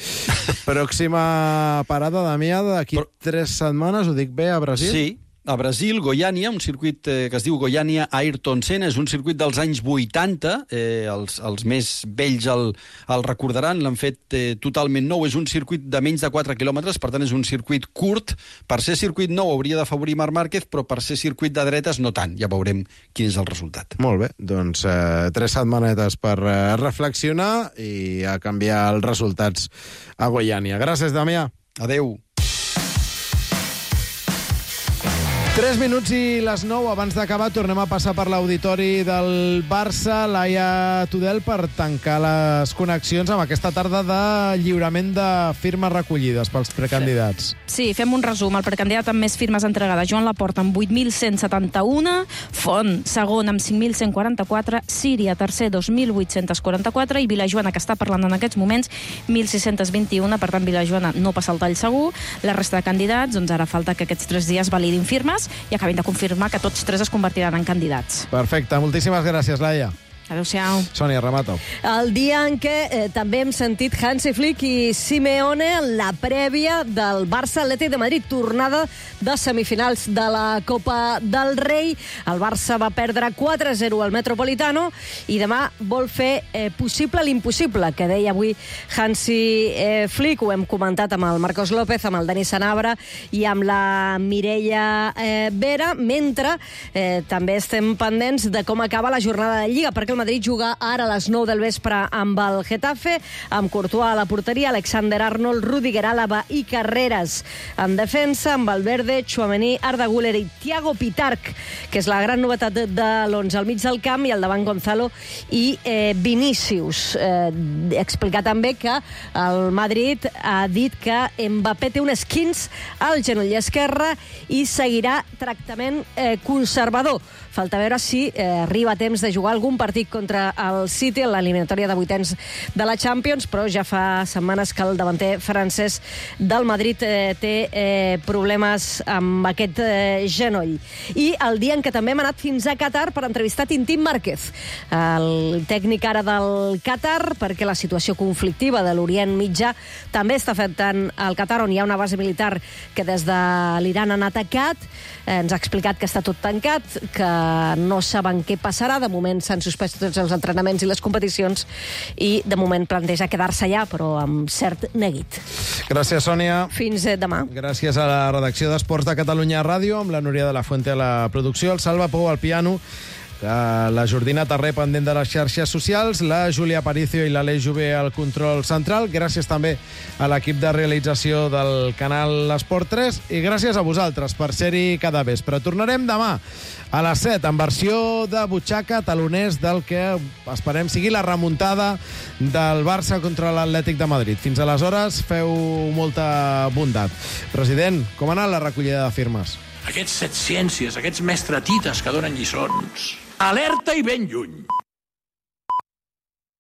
Pròxima parada, Damià, d'aquí 3 setmanes, ho dic bé, a Brasil? Sí. A Brasil, Goiânia, un circuit que es diu Goiânia Ayrton Senna, és un circuit dels anys 80, els més vells el recordaran, l'han fet totalment nou, és un circuit de menys de 4 quilòmetres, per tant és un circuit curt. Per ser circuit nou hauria d'afavorir Marc Márquez, però per ser circuit de dretes no tant, ja veurem quin és el resultat. Molt bé, doncs 3 setmanetes per reflexionar i a canviar els resultats a Goiânia. Gràcies, Damià. Adeu. 3 minuts i les 9. Abans d'acabar, tornem a passar per l'auditori del Barça, Laia Tudel, per tancar les connexions amb aquesta tarda de lliurament de firmes recollides pels precandidats. Sí, fem un resum. El precandidat amb més firmes entregades, Joan Laporta, amb 8.171, Font, segon, amb 5.144, Síria, tercer, 2.844, i Vilajoana, que està parlant en aquests moments, 1.621, per tant, Vilajoana no passa el tall segur. La resta de candidats, doncs ara falta que aquests 3 dies validin firmes i acabin de confirmar que tots 3 es convertiran en candidats. Perfecte, moltíssimes gràcies, Laia. Adéu-siau. Sònia, remato. El dia en què també hem sentit Hansi Flick i Simeone en la prèvia del Barça-Atlètic de Madrid, tornada de semifinals de la Copa del Rei. El Barça va perdre 4-0 al Metropolitano i demà vol fer possible l'impossible, que deia avui Hansi Flick. Ho hem comentat amb el Marcos López, amb el Dani Sanabra i amb la Mireia Vera, mentre també estem pendents de com acaba la jornada de Lliga, perquè el Madrid juga ara a les 9 del vespre amb el Getafe, amb Courtois a la porteria, Alexander-Arnold, Rudiger, Álava i Carreras en defensa, amb Valverde, Tchouaméni, Arda Güler i Thiago Pitarch, que és la gran novetat de l'11 al mig del camp, i al davant Gonzalo i Vinícius. Explicar també que el Madrid ha dit que Mbappé té un esquinç al genoll esquerre i seguirà tractament conservador. Falta veure si arriba a temps de jugar algun partit contra el City en l'eliminatòria de vuitens de la Champions, però ja fa setmanes que el davanter francès del Madrid té problemes amb aquest genoll. I el dia en què també hem anat fins a Qatar per entrevistar Tintín Márquez, el tècnic ara del Qatar, perquè la situació conflictiva de l'Orient Mitjà també està afectant el Qatar, on hi ha una base militar que des de l'Iran han atacat. Ens ha explicat que està tot tancat, que no saben què passarà. De moment s'han suspès tots els entrenaments i les competicions i de moment planteja quedar-se allà, però amb cert neguit. Gràcies, Sònia. Fins demà. Gràcies a la redacció d'Esports de Catalunya Ràdio, amb la Núria de la Fuente a la producció, el Salva Pou al piano, la Jordina Tarré pendent de les xarxes socials, la Júlia Aparicio i l'Aleix Jové al control central. Gràcies també a l'equip de realització del canal Esport 3 i gràcies a vosaltres per ser-hi cada vespre. Tornarem demà a les 7 en versió de butxaca, taloners del que esperem sigui la remuntada del Barça contra l'Atlètic de Madrid. Fins aleshores, feu molta bondat. President, com ha anat la recollida de firmes? Aquests setciències, aquests mestratites que donen lliçons. Alerta i ben lluny.